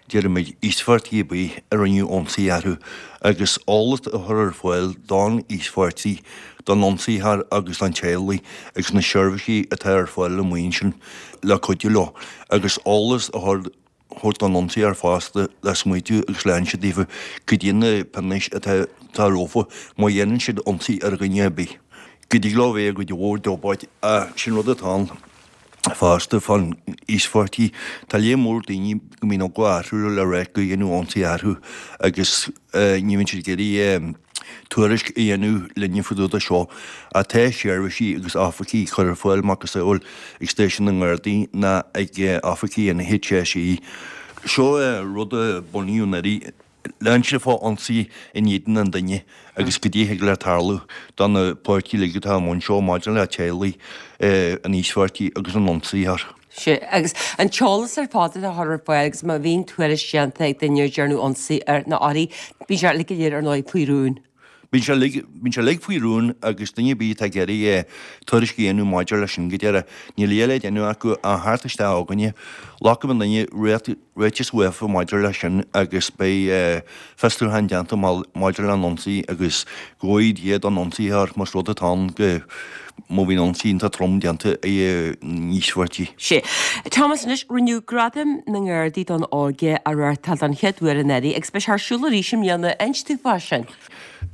déarfaimid íospartaigh ar bith a rinneadh ionsaí orthu agus eolas a chur ar fáil don íospartaigh, don ionsaítheoir agus don teaghlaigh agus na seirbhísí atá ar fáil amuigh ansin le cuidiú leo agus eolas a chur thabhairt don ionsaítheoir fosta le smaoitiú agus le hinse daofa cad iad na pionóis atá atá rompu má dhéanann siad ionsaí ar dhuine ar bith. Go dtig leo bheith i gcuid mhór diobairte ach sin rud atá ann fosta fán íospartaigh. Tá léar mór daoine go mbíonn eagla orthu le rá go dhéanadh ionsaí orthu agus ní bhíonn siad ag iarraidh tuairisc a dhéanamh linne fá dtaobh de seo. Ach tá seirbhísí agus oifigí curtha ar fáil macasamhail ag stáisiún na nGardaí ná ag oifigí an HSE. Seo rud a bunaíodh anuraidh le hinse fá ionsaí in éadan an duine agus cad é a thig le tarlú do na páirtithe uilig atá i mbun seo maidir le teaghlaigh an íospartaigh agus an ionsaítheoir. Sea, agus an t-eolas ar fad atá curtha ar fáil agus má bhíonn tuairisc déanta ag duine ar dearnadh ionsaí air nó uirthi, bíonn sé uilig go léir ar ndóigh faoi rún. Bíonn sé uilig, bíonn sé uilig faoi rún agus duine ar bith atá ag iarraidh tuairisc a dhéanamh maidir leis sin go deireadh, níl a dhath le déanamh acu ach theacht isteach chugainne. Glacfaidh an duine ráiteas uafa maidir leis sin agus beidh fiosrúchán déanta maidir leis an ionsaí agus go bhfóire Dia don ionsaítheoir más rud atá ann go má bhíonn ionsaí iontach trom déanta ag an íospartaigh. Sea. Thomas, anois, rinneadh Gradaim na nGardaí don Óige a reáchtáil don chéad uair anuraidh agus beidh sé ar siúl arís i mbliana. Inis dúinn fá sin.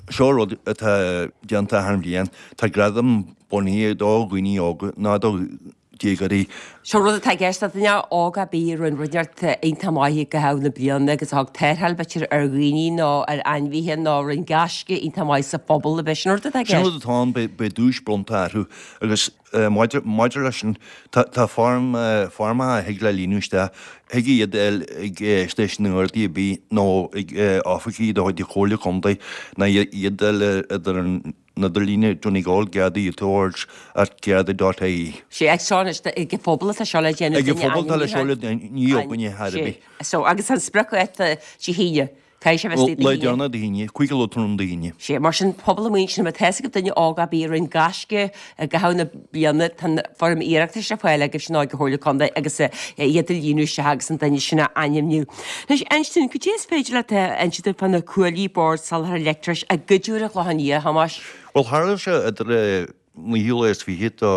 Seo rud atá déanta achan bhliain. Tá gradam bunaithe do dhaoine óga ná do déagóirí. Seo rud atá i gceist le duine óg ar bith a rinne rud inteacht iontach maith i gcaitheamh na bliana agus a thug tarrtháil b'fhéidir ar dhaoine nó ar ainmhithe nó a rinne gaisce iontach maith sa phobal ab é sin an rud atá i Sin gceist? rud atá ann, beidh duais bronnta orthu agus maidir leis sin tá foirm, foirmeacha a thig le líonadh isteach, thig iad a fháil ag stáisiún na nGardaí ar bith nó ag oifigí de chuid Chomhairle Contae nó iad a fháil idir an idirlíne Donegal Garda Towards at Garda dot ie. Sea, ag seo anois, ag an phobal atá seo le déanamh, Ag an phobal atá le seo le déanamh, ní againne thar ar bith. So, agus an spriocdháta Dé hAoine, caithfidh sé bheith istigh Dé Lá hAoine. deireanach Dé hAoine, cúig a chlog tráthnóna Dé hAoine. Sea, mar sin, pobal amuigh ansin, má tá fhios ag duine óg ar bith a rinne gaisce i gcaitheamh na bliana, tá an foirm iarratais ar fáil agaibhse ag an Chomhairle Contae agus iad a líonadh isteach agus an duine sin a ainmniú. Anois, inis dúinn, cad é is féidir leat a inse dúinn fá na cuaillí Bord Soláthair Leictreachais a goideadh ar an Chlochán Liath, a Thomáis? Bhuel, tharla sé idir an naoú lá is fiche de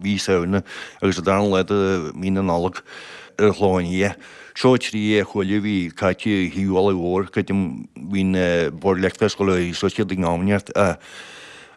mhí Samhna agus an dara lá de mhí na Nollag ar an Chlochán Liath. Seo trí chuaille a bhí caite ar thaobh an bhealaigh mhóir, creidim, bhí an Bord Leictreachais ag dul suas iad ag am inteacht.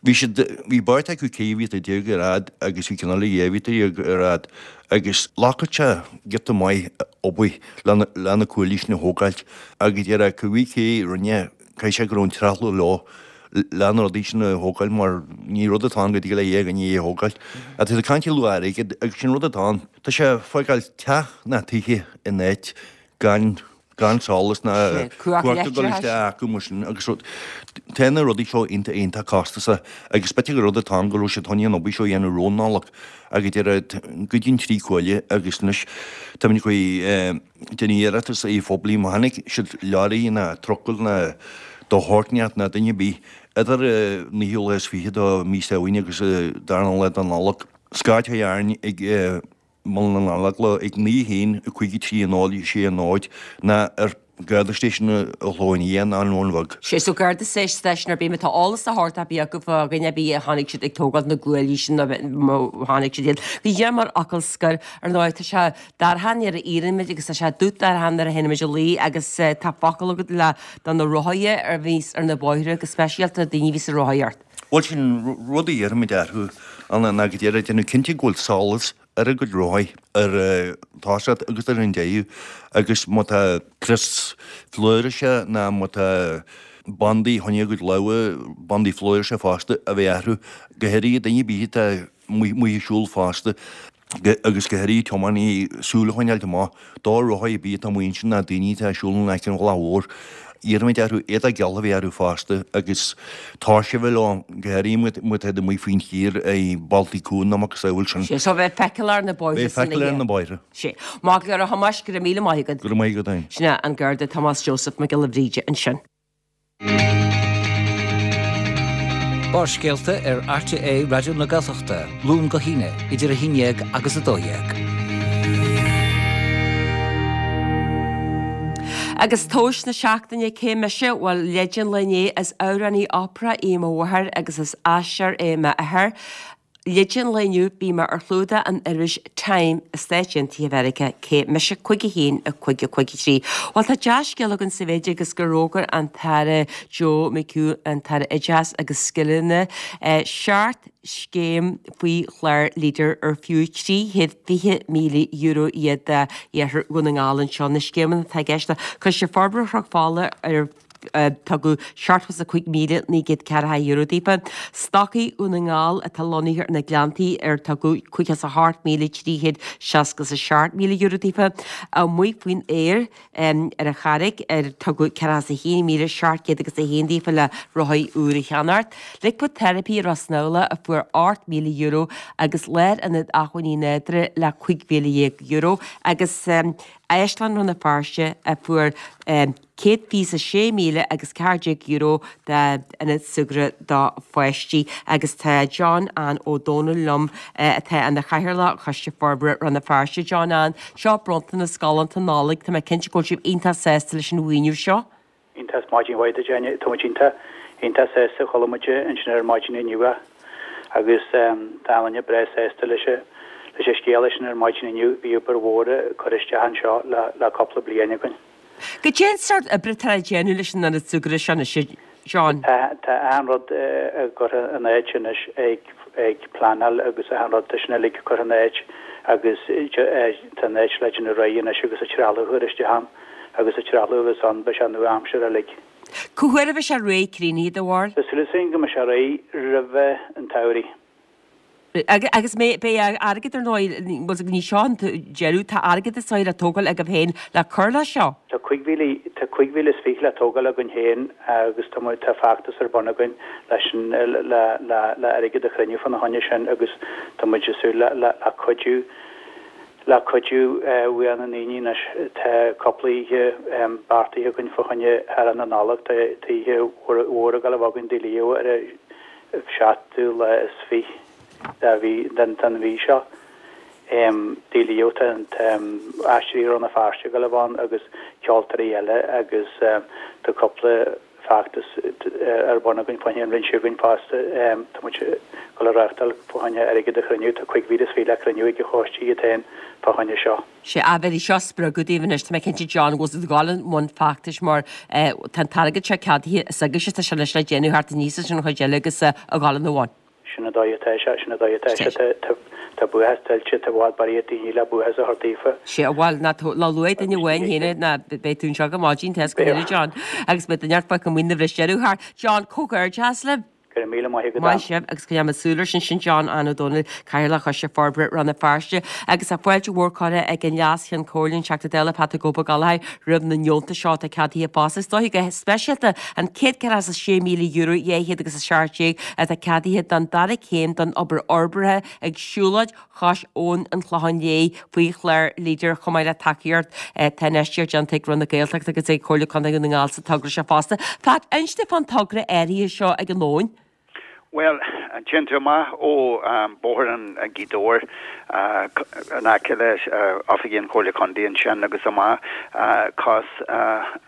Bhí siad, bhí beirt acu ceithre mhíotar déag ar fhad agus bhí ceann eile dhá mhíotar déag ar fhad agus ghlacfadh sé giota maith obair le na cuaillí sin a thógáilt agus déarfá cibé cé a rinne, caithfidh sé go raibh an trealamh leo le na rudaí sin a thógáil mar ní rud atá ann go dtig le dhá dhuine é a thógáil. Tá siad ag caint ar luach airgid agus sin rud atá ann. Tá sé ag fágáil teach ná tithe in áit gan gan solas ná cumhacht ag dul isteach acu mar sin agus rud. Tá na rudaí seo iontach iontach costasach agus b'fhéidir gur rud atá ann go raibh siad chun an obair seo a dhéanamh roimh Nollaig agus deir goideadh an trí cuaille agus anois táimid ag déanamh iarratas ar phoiblí má chonaic siad leoraí ná trucail ná do shórt inteacht ná duine ar bith idir an naoú lá is fiche de mhí Samhain agus dara lá de Nollaig. Scairt a chuir ag Muileann an Eagla ag naoi haon a cúig a trí a náid sé a náid ná ar Garda Station an Chlocháin Liath ná an Bhun Bheag. Sea so Garda Station ar bith má tá eolas de shórt ar bith acu fá dhuine ar bith a chonaic siad ag tógáil na gcuaillí sin nó má chonaic siad iad. Go díreach mar fhocal scoir, ar ndóigh, tá sé dorcha nuair a éirímid agus tá sé dubh dorcha nuair a théimid a luí agus tá focal agat le do na rothaithe a bhíos ar na bóithre go speisialta daoine a bhíos ag rothaíocht. Bhuel sin rud a iarraimid orthu ná go deireadh déanamh cinnte go bhfuil solas ar a gcuid rothaí ar an tosach agus ar an deireadh agus má tá crios flúirse ná má tá bandaí fá choinne a gcuid lámha, bandaí flúirse fosta a bheith orthu, go háirithe duine ar bith atá amuigh ag siúl fosta. agus go háirithe tiománaí súil a choinneáilt amach do rothaí ar bith atá amuigh ansin ná daoine atá ag siúl in aice an bhealaigh mhóir. Iarraimid orthu éadach geal a bheith orthu fosta agus tóirse a bheith leo, go háirithe má tá siad amuigh faoin tír i bhealtaí cúng nó macasamhail sin. Sea, so bheith feiceáil ar na bóithre Bheith san feiceáil ar oíche. na bóithre. Sea. Maith go leor a Thomáis, go raibh míle maith agat. Go raibh maith agat féin. Sin é an Garda Tomás Joseph Mac Giolla Bhríde ansin. Barrscéalta ar RTÉ Raidió na Gaeltachta, Luan go hAoine, idir a haon déag agus a dó dhéag. Agus tomhas na seachtaine cé mise? Bhuel, leid an lae inné, is amhránaí opera í mo mháthair agus is aisteoir é m'athair. Leid an lae inniu, bhí mé ar chlúdach an iris Time i Stáit Aontaithe Mheiriceá, cé mise cúig a haon a cúig a cúig a trí. Bhuel tá dea-scéal againn sa mhéid agus gur fhógair an tAire Joe McHugh, an tAire Oideachais agus Scileanna, seacht scéim faoi chlár Leader ar fiú trí chéad fiche míle euro iad d'iarthar Dhún na nGall anseo. Na scéimeanna atá i gceist, Coiste Forbartha Chnoc Fola ar Tugadh seachtó is a cúig míle naoi gcéad ceathracha euro daofa. Stocaigh Dhún na nGall atá lonnaithe ar na Gleanntaí ar tugadh caoga is a hocht míle trí chéad seasca is a seacht míle euro daofa. Amuigh faoin aer ar an Charraig ar tugadh ceathracha is a haon míle seacht gcéad agus a haon daofa le rothaí úr a cheannacht. Liquid Therapy i Ros an Fheabhla a fuair ocht míle euro agus Lárionad Acmhainní Nádúrtha le cúig mhíle dhéag euro agus Áislann Rann na Feirste a fuair céad fiche is a sé míle agus ceathair déag euro d'ionad súgartha do pháistí agus tá John Ann Ó Dónaill liom atá ina chathaoirleach Choiste Forbartha Rann na Feirste. John Ann, seo bronntanas galánta Nollag, tá mé cinnte go bhfuil sibh iontach sásta leis an mhaoiniú seo. Iontach, maidin mhaith duit Áine, tá muid iontach, iontach sásta, chuala muid ansin ar maidin inniu Agus tá achan duine breá sásta leis an leis an scéala sin ar maidin inniu. Bhí obair mhór curtha isteach anseo le le cúpla bliain againn. Goidé an sórt oibre atá le déanamh leis an ionad súgartha seo anois, a John? Tá tá achan rud curtha in áit anois ag ag pleanáil agus achan rud tá sin uilig curtha in áit agus tá an áit le déanamh réidh anois agus an trealamh a chur isteach ann agus an trealamh a bheas ann beidh sé nua-aimseartha uilig. Cá huair a bheidh sé réidh críochnaithe, do bharúil? Tá súil againn go mbeidh sé réidh roimh an tsamhraidh. Agus beidh airgead ar ndóigh, bhuel ní seo an deireadh, tá airgead is dóigh le tógáil agaibh féin le cur leis seo. Tá cúig mhíle, tá cúig mhíle is fiche le tógáil againn féin agus tá muid, tá feachtas ar bun againn leis an, le, le, le airgead a chruinniú fána choinne sin agus tá muid ag súil le, le, le cuidiú, le cuidiú uaidh na ndaoine anois. Tá cúpla oíche beartaithe againn fá choinne Hearach na Nollag, tá, tá oíche mhór, mhór ag dul a bheith againn Tigh Leo ar an seachtú lá is fiche de mhí, den, den mhí seo. Tigh Leo, tá, tá Aisteoirí Rann na Feirste ag dul a bheith ann agus ceoltóirí eile agus tá cúpla feachtas ar bun againn fá choinne an roinn seo againn fosta. Tá muid ag dul a reáchtáil fá choinne airgead a chruinniú. Tá cúig mhíle is fiche le cruinniú ag an choiste iad féin fá choinne seo. Sea, bheadh seo spreagadh daoibh anois, tá mé cinnte John, go bhfuil sibh ag dul i mbun feachtais mar tá an t-airgead seo ceadaithe is agaibhse tá sé anois le déanamh thart aníos leis an chuid eile agus a dhul ina bhun. Sin an dóigh atá sé, sin an dóigh atá sé. Tá buíochas tuillte, tá i bhfad barraíocht daoine le buíochas a thabhairt daofa. Sea, bhuel, ná ná luaigh duine amháin féin ná beidh tú anseo go maidin, tá a fhios go huile, John. Agus beidh duine ort fágtha amuigh na bhris deireadh thar. John, comhghairdeas libh. Go raibh míle maith agat. Maith sibh agus coinneoidh muid súil air sin. Sin John Ó Dónaill, Cathaoirleach Choiste Forbartha Rann na Feirste. Agus tá fáilte mhór curtha ag an Leas-Cheann Comhairle, an Teachta Dála Patrick Ó Gallchóir, roimh na deontais seo atá ceadaithe fosta. Is dóigh go speisialta an céad ceathracha is a sé míle euro dhá chéad agus a seacht déag atá ceadaithe don dara céim don obair fhorbartha ag siúlóid chois Abhann an Chlocháin Léith faoi chlár Leader chomh maith le tacaíocht tá infheistíocht déanta ag Roinn na Gaeltachta agus ag Comhairle Contae Dhún na nGall sa togra seo fosta. Pat, inis dom fán togra áirithe seo ag an abhainn. Bhuel, téann tú amach ó Bóthar an Ghaoth Dobhair in aice le oifigí an Chomhairle Contae ansin agus amach cois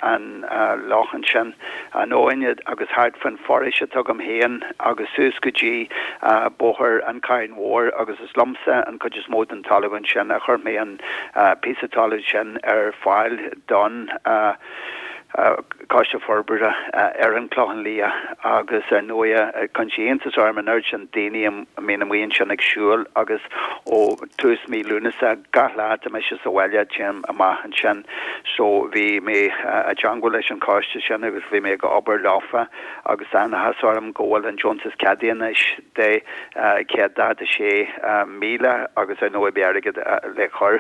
an loch ansin, an abhainn agus thart faoin foraois atá agam féin agus suas go dtí Bóthar an Chairn Mhóir agus is liomsa an chuid is mó den talamh ansin a chuir mé an píosa talaimh sin ar fáil don Coiste Forbartha ar an Chlochán Liath agus ar ndóighe cuireann sé iontas orm an oiread sin daoine a mbíonn amuigh ansin ag siúl agus ó tús mí Lúnasa gach lá tá mise sa bhaile téim amach ansin so bhí mé i dteangmháil leis an choiste sin agus bhí mé ag obair leofa agus tá an-áthas orm go bhfuil an deontas ceadaithe anois de céad daichead a sé míle agus ar ndóigh beidh airgead le cur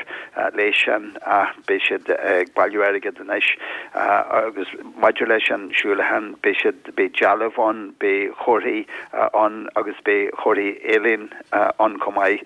leis sin ach beidh siad ag bailiú airgead anois agus maidir leis an siúlachán beidh siad, beidh dealbh ann, beidh comharthaí ann agus beidh comharthaí ealaíne ann chomh maith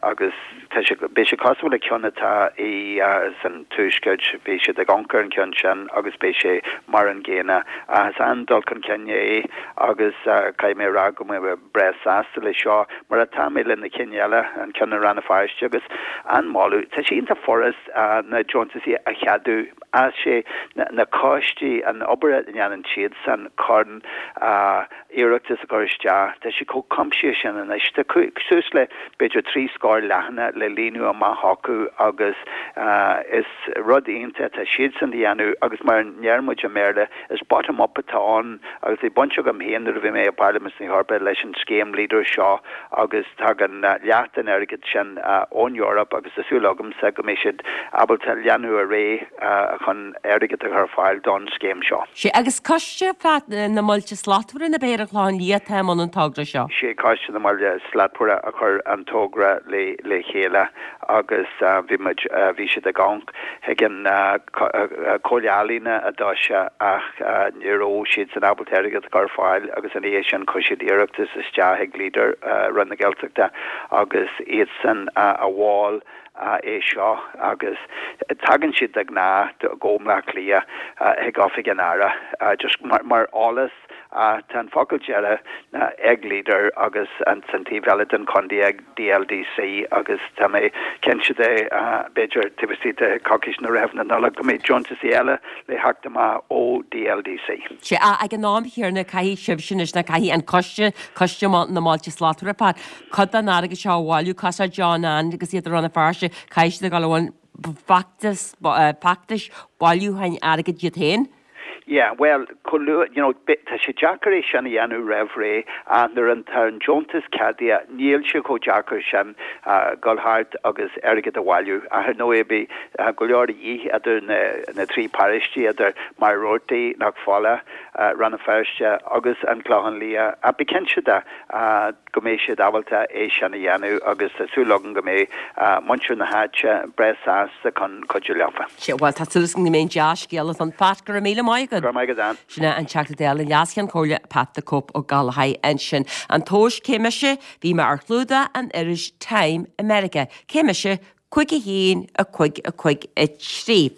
agus tá sé, beidh sé cosúil le ceann atá i san tuaisceart, bhí siad ag amharc ar an cheann sin agus beidh sé mar an gcéanna. Ach is an-dul chun cinn é agus caithfidh mé a rá go bhfuil mé breá sásta leis seo mar atá mé le na cinn eile, an ceann i Rann na Feirste agus an-mholadh. Tá sé iontach furast na deontaisí a cheadú. As sé na coistí, an obair a ndéanann siadsan chun iarratas a chur isteach, tá sé chomh cuimsitheach sin anois. Tá suas le b'fhéidir trí scór leathanach le líonadh amach acu agus is rud iontach atá siadsan a dhéanamh agus mar a ndeir muid i mBéarla, is bottom up atá ann agus bhí baint agam féin nuair a bhí mé i bParlaimint na hEorpa leis an scéim Leader seo agus tagann leath den airgead sin ón Eoraip agus tá súil agamsa go mbeidh siad ábalta leanúint ar aghaidh chun airgead a chur ar fáil don scéim seo. Sea, agus Coiste na mBailte Slachtmhara nó ab é ar an Chlochán Liath atá i mbun an togra seo? Sé Coiste na mBaile Slachtmhara a chuir an togra le le chéile agus bhí muid, bhí siad ag amharc chuig an Comhairle Ealaíona i dtús ach ní raibh siadsan ábalta airgead a chur ar fáil agus ina dhiaidh sin chuir siad iarratas isteach ag Leader Roinn na Gaeltachta agus iadsan a mhol é seo agus tagann siad de ghnáth go mBleá Cliath chuig Oifig an Aire just mar eolas Ach tá an focal deireadh ná ag Leader agus an san taobh eile den chontae ag DLDC agus tá mé cinnte de, b'fhéidir taobh istigh de coicís nó roimh na Nollag, go mbeidh deontasaí eile le theacht amach ó DLDC. Sea, ag an am chéanna caithfidh sibhse anois, nó caithfidh an coiste, Coiste na mBailte Slachtmhara, Pat, cuid den airgead seo a bhailiú, cosúil le John Anne agus iad i Rann na Feirste, caithfidh siad a dhul i mbun feachtas, feachtais bailiúcháin airgid iad féin. Yeah, bhuel, chomh luath, you know, tá sé deacair é sin a dhéanamh roimh ré ach nuair an tá an deontas ceadaithe, níl sé chomh deacair sin dul thart agus airgead a bhailiú. Ach ar ndóigh, beidh go leor de dhíth idir na na trí paróistí, idir Machaire Rabhartaigh, Cnoc Fola, Rann na Feirste agus an Clochán Liath. Ach bí cinnte de go mbeidh siad ábalta é sin a dhéanamh agus tá súil agam go mbeidh muintir na háite breá sásta chun cuidiú leofa. Sea, bhuel, tá súil agam go mbeidh an dea-scéala ann. Pat, go raibh míle maith agat. Go raibh maith agat, Ann. Sin é an Teachta Dála, an Leas-Cheann Comhairle Pat the Cope Ó Gallchóir ansin. An tomhas cé mise? Bhí mé ar chlúdach an iris Time i Meiriceá. Cé mise? cúig a haon, a cúig, a cúig, a trí.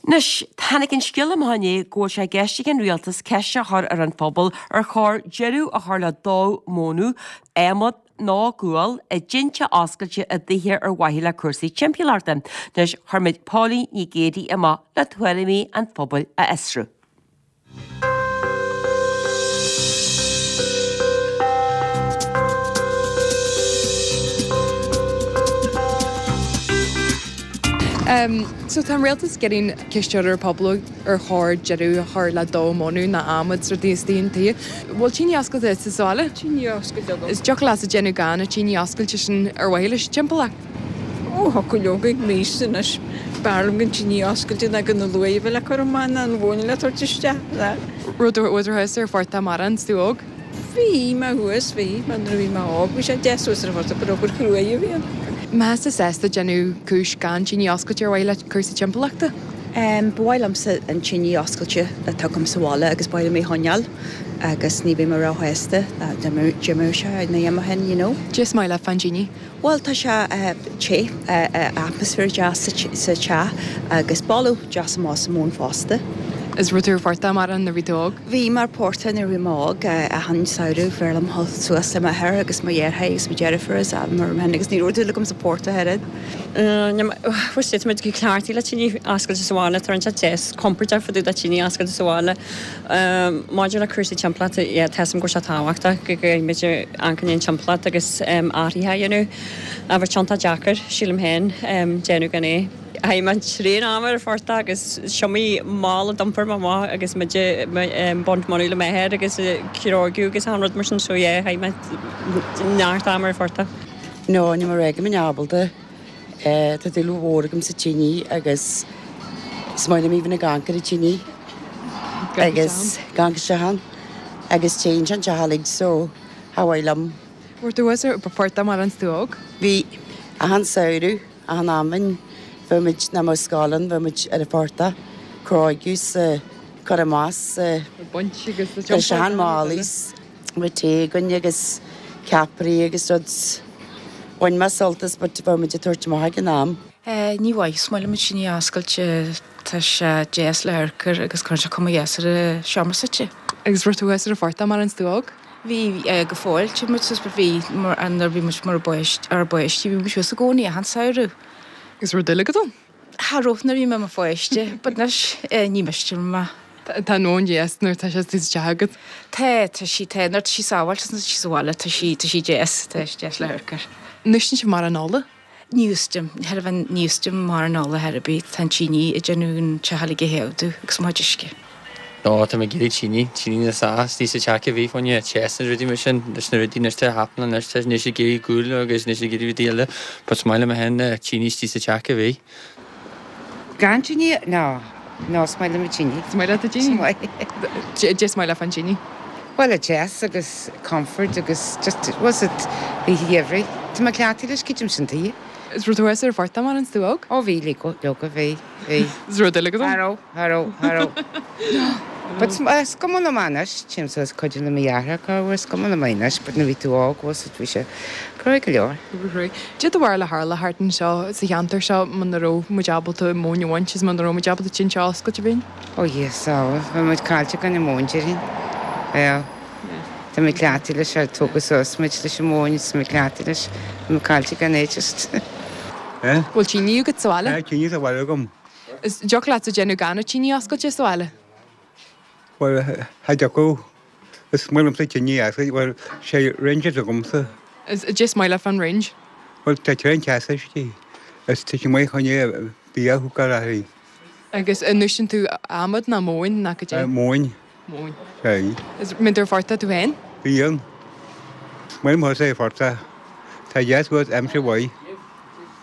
Anois, tháinig an scéal amach inné go bhfuil sé i gceist ag an rialtas ceist a chur ar an phobal ar chóir deireadh a chur le dó mónadh, adhmad nó gual i dtinte oscailte i dtithe ar mhaithe le cúrsaí timpeallachta. Anois, chuir muid Póilín Ní Ghéibheannaigh amach le tuairimí an phobail a fhiosrú. So tá an rialtas ag iarraidh ceist a chur ar an phobal ar chóir deireadh a chur le dó mónadh nó adhmad is rudaí istigh i dtithe. Bhfuil tine oscailte agat sa bhaile? Tine oscailte agam. Is dtiocfadh leatsa déanamh gan an tine oscailte sin ar mhaithe leis an timpeallacht? Ó, thiocfadh leoga ag m'aois anois. B'fhearr liom gan tine oscailte ná gan na luaith a bheith le cur amach ná an mhóin le tabhairt isteach. Raibh tú thuas ar phortach mórán is tú óg? Bhí mé thuas, bhí, mar nuair a bhí mé óg bhí sé deas thuas ar an phortach gur obair chruaidh a bhí ann. Mbeifeá sásta déanamh cúis gan tine oscailte ar mhaithe le cúrsaí timpeallachta? Ba mhaith liomsa an tine oscailte atá agam sa bhaile agus ba mhaith liom é a choinneáil agus ní bheidh mé róshásta dá d'imeodh sé nó dá n-imeoinn you know. Cad é is maith leat fán tine? Bhuel tá sé te, atmaisféar deas sa teach agus boladh deas amach as an móin fosta. Is raibh tú ar phortach mórán nuair a bhí tú óg? Bhí mé ar portach nuair a bhí mé óg, achan samhradh b'fhearr liom dhul suas le m'athair agus mo dheartháir agus mo dheirfiúr is mar sin agus ní raibh dúil agam sa portach oiread. Bhuel tá muid go cleachtaithe le tine oscailte sa bhaile, tá sé deas compordach fá dtaobh de tine oscailte sa bhaile. Maidir le cúrsaí timpeallachta, yeah, tá 'fhios a'm go bhfuil sé tábhachtach go gcaithfidh muid amharc ar an timpeallacht agus athruithe a dhéanamh. Ach bheadh sé iontach deacair, sílim féin, déanamh gan é. Chaith mé tréan ama ar an phortach agus is iomaí mála d'iompar mé amach agus muid ag baint mónadh le m'athair agus ag cróigiú agus achan rud mar sin so yeah, chaith mé neart ama ar an phortach. No, níl mé ag rá go mbeinn ábalta. Tá dúil mhór agam sa tine agus is maith liom even ag amharc ar an tine agus ag amharc isteach ann agus téann sé an teach uilig so cha mhaith liom. Raibh tú thuas ar phortach mórán is tú óg? Bhí. Achan samhradh, achan am, bheadh muid, nach mbeadh scoil ann, bheadh muid ar an phortach, cróigiú 's cur amach 's baint agus cur isteach an málaí 's bheadh tae againn agus ceapairí agus rud. Bhain mé sult as but bheadh muid ag tabhairt amach ag an am. Ní mhaith, is maith liom an tine oscailte, tá sé deas le hamharc air agus cuireann sé cuma dheas ar an seomra suite. Agus raibh tú thuas ar an phortach mórán is tú óg? Bhí, go fóill, téann muid suas but bhí, mar, nuair a bhí muid mar ár bpáistí, bhí muid thuas i gcónaí achan samhradh. Agus raibh dúil agat ann? Cha raibh nuair a bhí mé i mo pháiste, but anois ní miste liom é. Tá an mhóin deas nuair atá sé sa teach agat. Tá, tá sí, tá, nuair atá sí sábháilte is nuair atá sí sa bhaile, tá sí, tá sí deas, tá sí deas le hamharc air. An úsáideann sibh mórán ola? Ní úsáidim, char bhain, ní úsáidim mórán ola ar bith, tá an tine ag déanamh an teach uilig a théadú agus mo chuid uisce. No, tá mé ag iarraidh tine, tine na sa, istigh sa teach a bhí fá choinne teas na rudaí mar sin, leis na rudaí anois tá happening anois, tá níl siad ag iarraidh gual agus níl siad ag iarraidh rudaí eile, but is maith liom féin tine istigh sa teach a bhí. Gan tine? No, no, is maith liom an tine. Is maith leat an tine? Is maith. Cad é is maith leat fán tine? Bhuel, a deas agus comfort agus just, was it oíche gheimhridh. Tá mé cleachtaithe leis, creidim sin tuighe. Is raibh tú thuas ar an phortach mórán is tú óg? Ó bhí, leoga, bhí, bhí. Is raibh dúil agat ann? Cha raibh, cha raibh, cha raibh. But is cuma liom anois, téim suas cuidiú le mo dheartháir corruair, is cuma liom anois, but nuair a bhí tú óg, was it, bhí sé cruaidh go leor. Cad é do bharúil a tharlódh thart anseo sa cheantar seo muna raibh muid ábalta móin a bhaint is muna raibh muid ábalta tinte oscailte a bheith Ó Dhia sábháil, bheadh muid caillte gan an mhóin déarfainn. Well, tá mé cleachtaithe leis ar tógadh suas muid leis an mhóin is tá mé cleachtaithe leis, tá mé caillte gan é just. An bhfuil tine agat sa bhaile? Tá tine sa bhaile agam. Is dtiocfadh leatsa déanamh gan an tine oscailte sa bhaile? Bhuel, cha dtiocfadh. Is maith liomsa tine oscailte, bhuel, sé range atá agamsa. Is cad é is maith leat fán range? Bhuel, tá tréan teasa istigh is tá sé maith chun bia a chócáil uirthi. Agus an úsáideann tú adhmad ná móin ná cad é? Móin. Móin. Sea. Is mbíonn tú ar phortach tú féin? Bíonn. Is maith liom thusa ar phortach. Tá deas uait aimsir mhaith.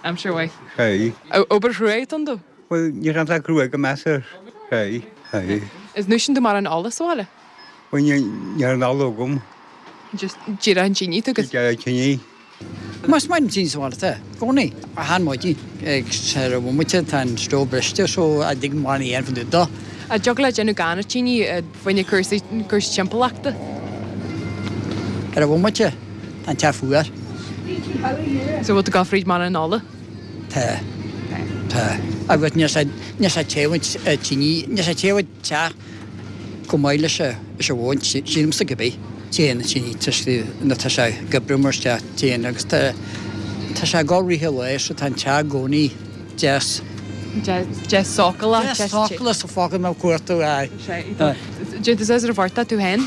Aimsir mhaith. Sea. Obair chrua atá ann dó? Bhuel, níl ann ach crua go measartha. Sea. Sea. Is an úsáideann tú mórán ola sa bhaile? Bhuel, níl aon ola agam. Just díreach an tine atá agat? Díreach an tine. Is maith liom tine sa bhaile, tá, i gcónaí. Achan maidin ag ar an bhomaite tá an stove briste so a dtig mórán a dhéanamh fán dtaobh dó. An dtiocfadh leat déanamh gan an tine fá choinne cúrsaí cúrsaí timpeallachta? Ar an bhomaite tá an teach fuar. So bhfuil tú ag gabháil fríd mórán ola? Tá. Tá. Agus níl sé níl sé téamh an tine níl sé téamh an teach chomh maith leis an mhóin, sílimse cibé. Téann tine toisc nó tá sé ag oibriú mar isteach téann agus tá tá sé ag dul rith an lae so tá an teach i gcónaí deas. Deas sócúlach. Deas sócúlach sa focal mé cuartú aye. Déanann tú suas ar an phortach tú féin?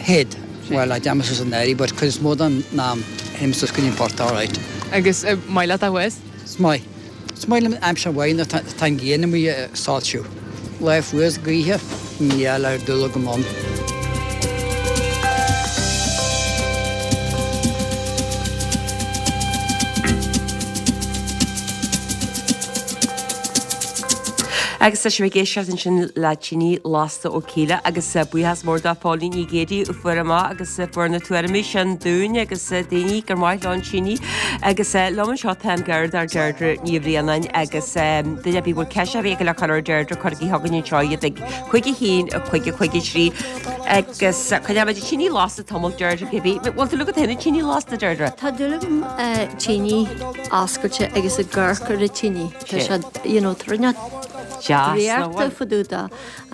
Théid. Bhuel, déanaim suas an éirí but cuid is mó den am théim suas go dtí an portach alright. Agus maith leat a thuas? Is maith. Is maith liom aimsir mhaith nuair tá an ghrian amuigh ag soilsiú. Lá fuar is gaoithe, níl air dul agam ann. Agus tá sibh ag éisteacht ansin le Tine Lasta ó Kíla agus buíochas mór do Phóilín Ní Ghéibheadaigh a fuair amach agus fuair na tuairimí sin dúinn agus daoine gur maith leo an tine agus liom anseo tá an Garda Deirdre Ní Bhraonáin agus duine ar bith a bhfuil ceist ar bith aige le cur ar Deirdre cuirigí chugainn anseo iad ag cúig a haon a cúig a cúig a trí agus coinneoimid an tine lasta tamall Deirdre cibé. Bhfuil dúil agat féin an tine lasta Deirdre? Tá dúil agam tine oscailte agus ag amharc ar an tine. Tá sé you know tá rud draíochta fá dtaobh de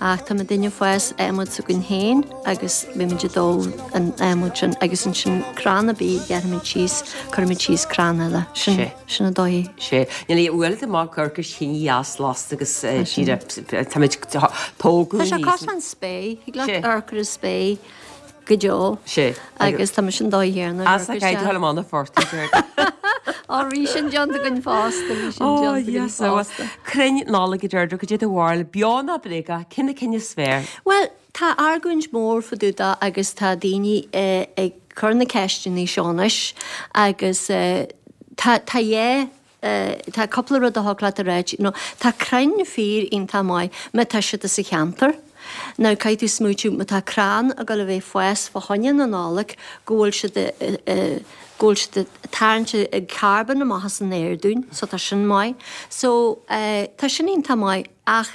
ach tá muidinne ag fás adhmad s'againn féin agus beimid ag dó an adhmad sin agus ansin crann ar bith a ghearrfaimid síos, cuirfimid síos crann eile. Sin, sin an dóigh. Sé. Níl a bhualadh amach gur gur tine dheas lasta agus díreach táimid tógadh Tá sé cosúil leis an spéir, thig leat amharc ar an spéir. go deo. Sé. Agus tá mise an dóigh chéanna. As a gcaid thall amach na fortaí. Á bhí sin déanta againn fosta, bhí sin déanta againn fosta. Crainn Nollag a Deirdre, cad é do bharúil, beo nó bréagach, cé na cinn is fearr? Bhuel, tá argóint mór fá dtaobh de agus tá daoine ag cur na ceisteanna seo anois agus tá tá dhá Tá cúpla rud a thig leat a ráit, you know, tá crainn fíor iontach maith má tá siad sa cheantar. Now caithfidh tú smaoitiú má tá crann ag dul a bheith ag fás fá choinne na Nollag go bhfuil siad go bhfuil siad ag tarraingt an carbon amach as an aer dúinn, so tá sin maith. So tá sin iontach maith ach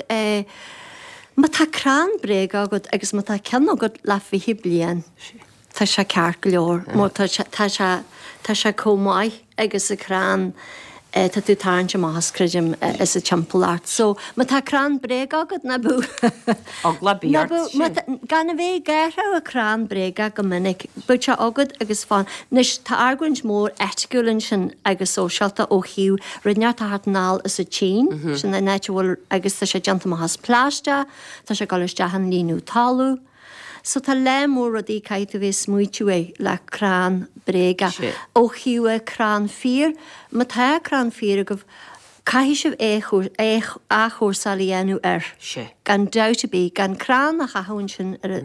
má tá crann bréagach agat agus má tá ceann agat le fiche bliain, Tá sé ceart go leor mar tá sé, tá sé, tá sé chomh maith agus an crann tá tú ag tarraingt amach as, creidim, as an timpeallacht. So, má tá crann bréagach agat, ná bíodh, Eagla ná bíodh ort, bíodh, sin. má tá, gan a bheith ag athrú an crann bréagach go minic, bíodh sé agat agus fan. Anois, tá argóint mór eiticiúil ansin agus sóisialta ó thaobh rud inteacht a theacht anall as an tSín, sin an áit a bhfuil, agus tá sé déanta amach as plaisteach, tá sé ag dul isteach in líonadh talamh. So tá lear mór rudaí caithfidh tú bheith ag smaoitiú air le crann bréagach. Ó thaobh crann fíor, má tá crann fíor agaibh, caithfidh sibh athchúrsáil a dhéanamh air. Gan dabht ar bith, gan crann a chaitheamh ansin ar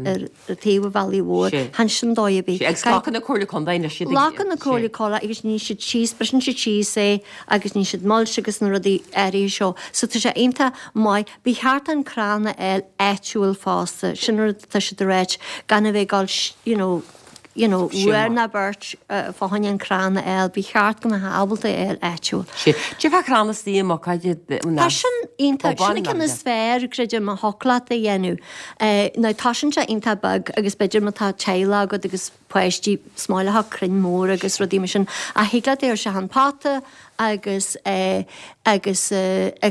taobh an bhealaigh mhóir, chan sin dóigh ar bith. Agus glacann na Comhairle Contae anois iad. Glacann na Comhairle Contae agus níonn siad síos, briseann siad síos é agus níonn siad mulch agus na rudaí áirithe seo. So tá sé iontach maith. Ba cheart an crann a fháil áitiúil fosta, sin rud atá siad a ráit, gan a bheith ag dul you know, you know, uair ná beirt fá choinne an crann a fháil, ba cheart go mbeifeá ábalta é a fháil áitiúil. Sé, cad fá chrann istigh i mbocáid Tá sin iontach, sin an ceann is fearr, creidim, a thiocfadh leat a dhéanamh. Now tá sin sé iontach beag agus b'fhéidir má tá teaghlach agat agus páistí is maith leo crainn mór agus rudaí mar sin ach thig leat é a chur isteach an pota agus agus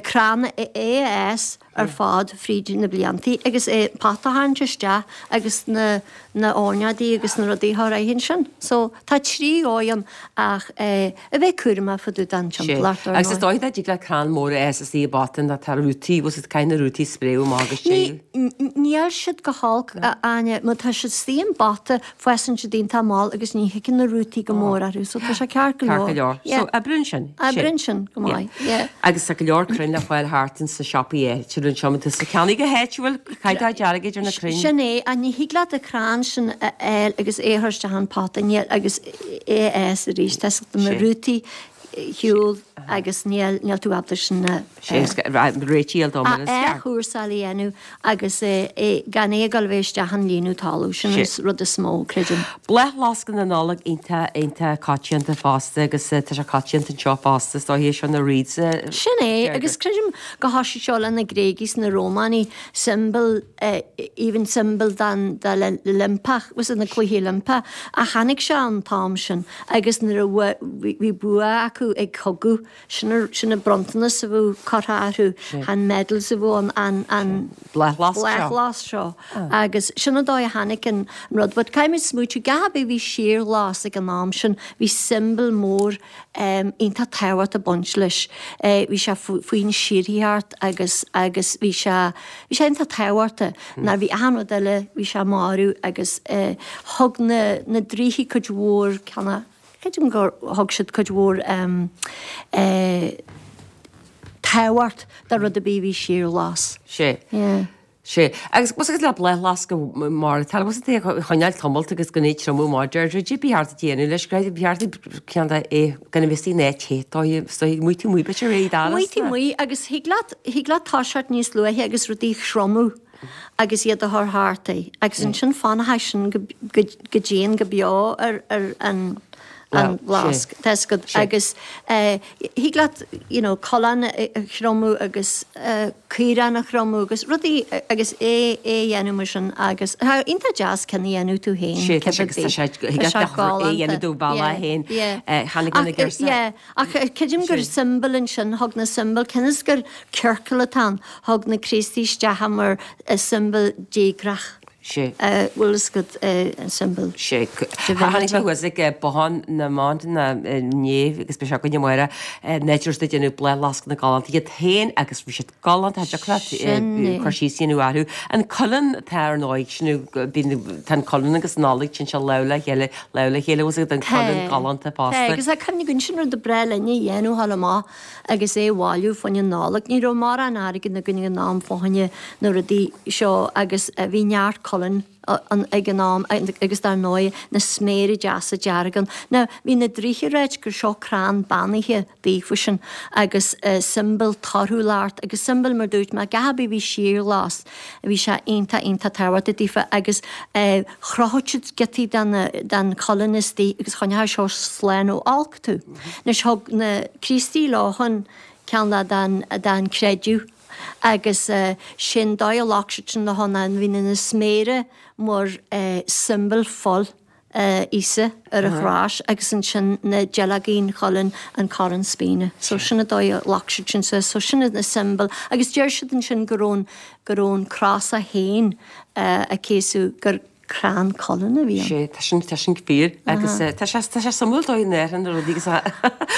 crann é a fhás ar fad fríd na bliantaí agus é pota a tharraingt isteach agus na na airneáidí agus na rudaí a chur air ansin. So tá trí dhóigh ann ach a bheith cúramach fá dtaobh den timpeallacht ar Agus is ndóigh. dóigh dá dtig le crann mór a fhás istigh i bpota ná tá rútaí, bhfuil siad caithfidh na rútaí spréadh amach agus Ní, téamh. níl siad go holc, a Áine, má tá siad istigh i bpota fásann siad iontach mall agus ní thigeann na rútaí go mór orthu so tá sé ceart go Ceart go leor. leor. Yeah. So oibríonn sin. Oibríonn sin go Yeah. maith, yeah. Agus tá go leor crainn le fáil thart ins na siopaí áitiúla anseo, má tá tú ag ceannaigh go háitiúil, caithfidh tú dearg idir na crainn. Sin é, ach ní thig leat an crann sin a fháil agus é a chur isteach an pota níl agus é a fhás arís, tá na Sé. rútaí shiúl agus níl níl tú ábalta sin a Sé réitíl dom a athchúrsáil a dhéanamh agus gan é a ghoil a bheith isteach an líonadh talamh, sin Sé. an rud is mó, creidim. Bláthfhleasca na Nollag iontach iontach coitianta fosta agus tá sé coitianta anseo fosta is dóiche seo na wreaths. Sin é, agus creidim go thoisigh seo le na Gréagaigh is na Rómánaigh, symbol, even symbol den den Oilimpeach, was na Cluichí Oilimpeach, ach tháinig sé an t-am sin agus nuair a bhí bua acu ag cogadh, sin sin an bronntanas a bhí curtha orthu, an medals a bhí an an an bláthfhleasc seo agus sin an dóigh a tháinig an rud. But caithfimid smaoitiú, gach ar bith a bhí síorghlas ag an am sin, bhí symbol mór iontach tábhachtach ag baint leis. Bhí sé faoin síorthaíocht agus agus bhí sé bhí sé iontach tábhachtach. Nuair bhí achan rud eile, bhí sé marbh agus thug na na draoithe cuid mhór ceanna, creidim gur thug siad cuid mhór tábhacht do rud ar bith a bhí síorghlas. Sé. Yeah. Sé. Agus bhfuil agus le bláthfhleasca mar tá bhfuil tú a choinneáil tamalt agus go n-é triomú mar Deirdre Dé bí thart déanamh leis go bí thart ceann de é gan a bheith in áit te tá muid tú muid b'fhéidir é dar. Muid tú muid agus thig leat thig leat toiseacht níos luaithe agus rudaí a thriomú agus iad a chur thart é agus ansin fanfaidh sin go go go dian go beo ar ar an an bhfleasc. Tá fhios agat agus thig leat you know coileán a thriomú agus caorán a thriomú agus rudaí agus é é a dhéanamh mar sin agus tá iontach deas ceann a dhéanamh tú féin Sé tá sé agus tá sé thig leat é a dhéanamh do bhealach féin. Tháinig na girseach. Yeah ach creidim gur symbol ansin thug na symbol cionn is gur ciorcal atá ann thug na Críostaí isteach é mar symbol déchreach. Sé. Bhfuil fhios agat an symbol. Sé. Tháinig mé thuas ag Bothán na mBan inné agus beidh sé againne amárach náid ag déanamh bláthfhleascanna galánta iad féin agus bhí siad galánta, tá deacracht cur síos a dhéanamh orthu. An cuileann atá ar ndóigh, sin bíonn tá an cuileann agus an Nollaig, téann sé lámh le chéile, lámh le chéile, bhfuil fhios agat an cuileann galánta fosta. Tá, agus tá cuimhne agam sin rud a ba bhreá linn a dhéanamh thall amach agus é a bhailiú fá choinne Nollag. Ní raibh mórán airgid againn ag an am fá choinne na rudaí seo agus bhí neart cuileann ag an am agus dar ndóigh na sméara deasa dearga ann. Now bhí na draoithe ag ráit gur seo crann beannaithe daofa sin agus symbol torthúlacht agus symbol mar dúirt mé gach ar bith a bhí síorghlas bhí sé iontach iontach tábhachtach daofa agus chrochadh siad giotaí den den chuileann istigh agus choinneodh seo slán ó olc tú. Anois thug na Críostaí leo an ceann den den creideamh agus sin dóigh a ghlac siad sin leo ná bhí na sméara mar symbol fuil Íosa ar an chrois agus ansin na duilleogaí an chuilinn an coróin spíne. So sin an dóigh a ghlac siad sin suas. So sin na symbol agus deir siad ansin go raibh an go raibh an crois é féin a céasadh gur crann cuilinn a bhí ann. Sé, tá sin, tá sin fíor agus tá sé, tá sé suimiúil dóigh in Éirinn na rudaí agus a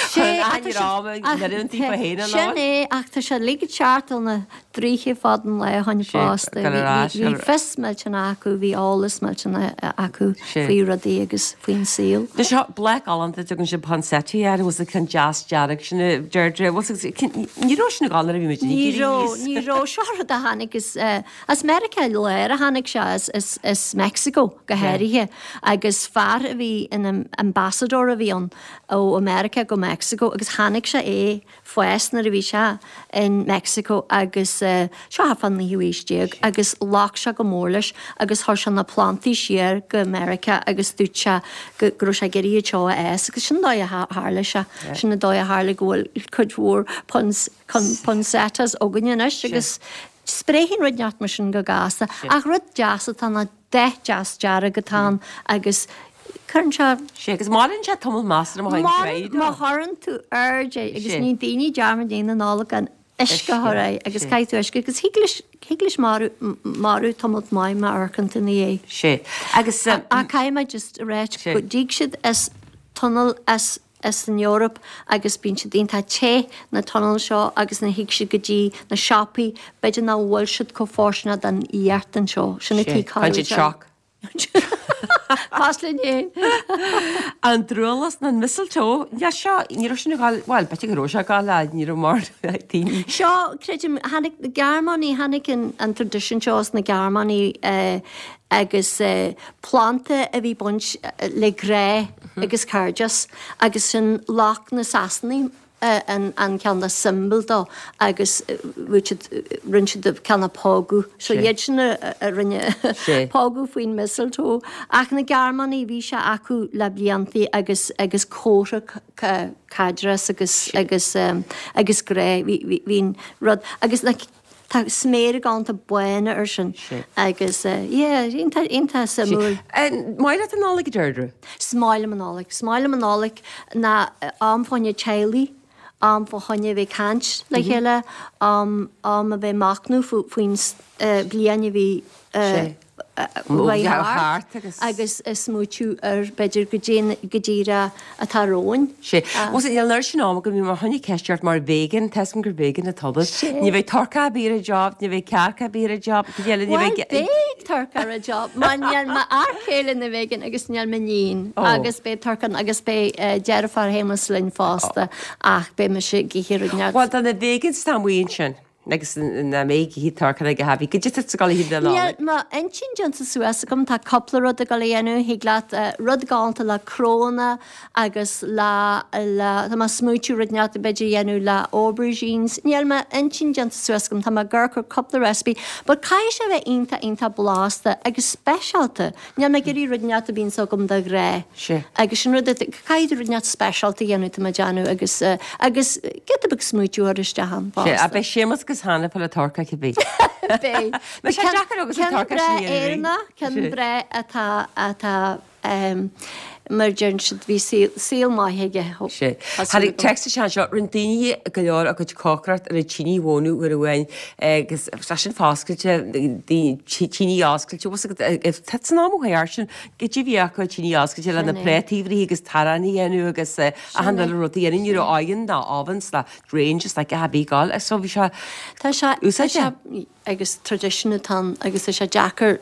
Sé, chuireann aithne ar am a ndeireadh an taobh féin an Sin é, ach tá sé uilig ag teacht ó na draoithe fad an lae ó shoin Sé, fosta. gabh ar ais, Bhí fios millteanach acu, bhí eolas millteanach acu Sé. faoi rudaí agus faoin saol. Tá seo bláth galánta, tugann siad poinsettia air, bhfuil sé ceann deas dearg sin a Deirdre, bhfuil sé, ní raibh sin ag dul nuair a bhí muid Ní ag éirí raibh, aníos. ní raibh. Seo rud a tháinig as, as Meiriceá Láir a tháinig sé, as, as, as Mexico go háirithe agus fear a bhí ina ambassador a bhí ann ó America go Mexico agus chonaic sé é fás nuair a bhí sé in Mexico agus seo thart fán naoú haois déag agus ghlac sé go mór leis agus chuir sé na plantaí siar go Meiriceá agus dúirt sé go raibh sé ag iarraidh iad seo a fhás agus sin an dóigh a tharla sé, sin an dóigh a tharla go bhfuil cuid mhór poinsettias againne anois agus Spréigheann rud inteacht mar sin go gasta, ach rud deas atá ann, dath deas dearg atá ann agus Cuireann sé. Sé agus maireann sé tamall measartha má théann tú Má chuireann tú aird air agus ní daoine dearmad a dhéanamh an Nollaig gan uisce a chur air agus caithfidh tú uisce agus thig leis thig leis maireadh tamall maith má amharcann tú ina dhiaidh. Sé agus. Ach caithfidh mé just a ráit go dtig siad as tunnel as as an Eoraip agus bíonn siad iontach te na tunnel seo agus nuair a thig siad go dtí na siopaí b'fhéidir nach bhfuil siad chomh fóirsteanach don fhuacht anseo. Sin an tuige Faigheann siad shock. Cosúil linn féin. An drualus nó an mistletoe, níl seo, ní raibh sin ag gabháil, bhuel, b'fhéidir go raibh sé ag gabháil le, ní raibh mar daoine. Seo, creidim, tháinig na Gearmánaigh, tháinig an an tradition seo as na Gearmánaigh agus planda a bhí baint le grá agus cairdeas agus sin lucht na Sasanaigh an ceann de symbol dó agus bhí siad, rinne siad ceann a pógadh. So iad sin a rinne pógadh faoin mistletoe. Ach na Gearmánaigh, bhí sé acu le bliantaí agus agus comhartha caidreas agus agus agus grá. Bhí bhí an rud agus na Tá sméara galánta bána air sin agus yeah, iontach iontach suimiúil. Maith leat an Nollaig, a Deirdre? Is maith liom an Nollaig. Is maith liom an Nollaig ná am fá choinne teaghlaigh, am fá choinne a bheith ag caint le chéile, am am a bheith ag machnamh faoin bhliain a bhí thart agus ag smaoitiú ar b'fhéidir goidé atá romhainn. Sé. Bhuel, níl an oiread sin am agam, bhí mé chun ceist ort mar vegan, tá 'fhios agam gur vegan atá tú. Ní bheidh turcaí ar bith ar an job, ní bheidh cearca ar bith ar an job, cad eile, ní bheidh. Bhuel, beidh turcaí ar an job, mar níl m'fhear céile ina vegan agus níl m'iníon agus beidh turcaí ann agus beidh deirfiúr Shéamus linn fosta ach beidh mise ag ithe rud inteacht. Bhuel, do na vegans atá amuigh ansin. Agus nach mbeidh ag ithe turcaí ag a happy. Goidé tá tú ag dul a ithe don Nollaig? Níl m'intinn déanta suas agam, tá cúpla rud ag dul a dhéanamh, thig leat rud galánta le cnónna agus le, le, tá mé ag smaoitiú rud inteacht b'fhéidir a dhéanamh le aubergines, níl m'intinn déanta suas agam, tá mé ag amharc ar cúpla recipe, but caithfidh sé a bheith iontach iontach blasta agus speisialta. Níl mé ag iarraidh rud inteacht a bhíonns agam de ghnáth. Sea. Agus sin rud, caithfidh tú rud inteacht speisialta a dhéanamh, tá mé ag déanamh, agus, agus giota beag smaoitiú a chur isteach ann fosta. Sea, ach beidh Séamus agus Hannah ag fáil an turcaí cibé. Beidh. Beidh sé deacair agus an Ceann turcaí breá sin a dhéanamh. Éireannach, ceann breá atá, atá, mar a deireann siad, bhí saol, saol maith aige. Sea. Tháinig téacs isteach anseo, rinne daoine go leor a gcuid cócaireacht ar an tine a bhunú uair amháin agus tá sin foscailte, tine oscailte, bhfuil fhios agat, tá san am ó thaobh sin, goidé a bhí acu tine oscailte le na prátaí a bhruith agus t-arán a dhéanamh agus achan uile rud a dhéanamh, ní raibh oigheann ná ovens ná ranges like a bhí ag dul, so bhí sé Tá sé, tá sé, agus traidisiún atá ann agus tá sé deacair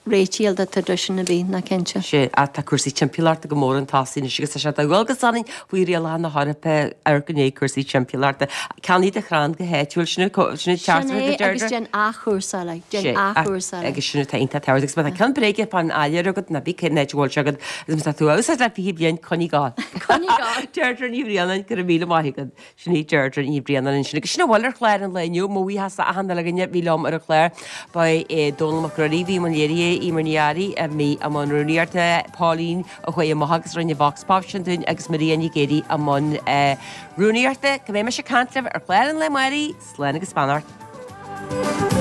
réitigh le traidisiún ar bith, ná cinnte. Sea, ach tá cúrsaí timpeallachta go mór chun tosaigh anois agus tá sé de dhualgas orainn faoi rialacha na hEorpa amharc i ndiaidh cúrsaí timpeallachta. Ceannaigh do chrann go háitiúil, sin an Sin teachtaireacht é a agus Deirdre. déan athchúrsáil é, déan Sea, athchúrsáil é. agus sin atá iontach tábhachtach agus má tá ceann bréige fán áiléar agat, ná bí cén áit a bhfuil sé agat agus má tá tú á úsáid le fiche bliain, coinnigh air. Coinnigh air. Deirdre Ní Bhraonáin, go raibh míle maith agat. Sin í Deirdre Ní Bhraonáin ansin. Agus sin a bhfuil ar chlár an lae inniu. Mo bhuíochas d'achan uile dhuine a bhí liom ar an chlár. Ba é Dónall Mac Ruairí a bhí i mbun léirithe, Eimear Ní Fhearraigh a bhí i mbun rúnaíochta, Pauline a chuaigh amach agus rinne Vox Pop sin dúinn agus Maria Nic Géadaigh i mbun rúnaíochta. Go mbeidh mise ag caint libh ar chlár an lae amárach, slán agus beannacht.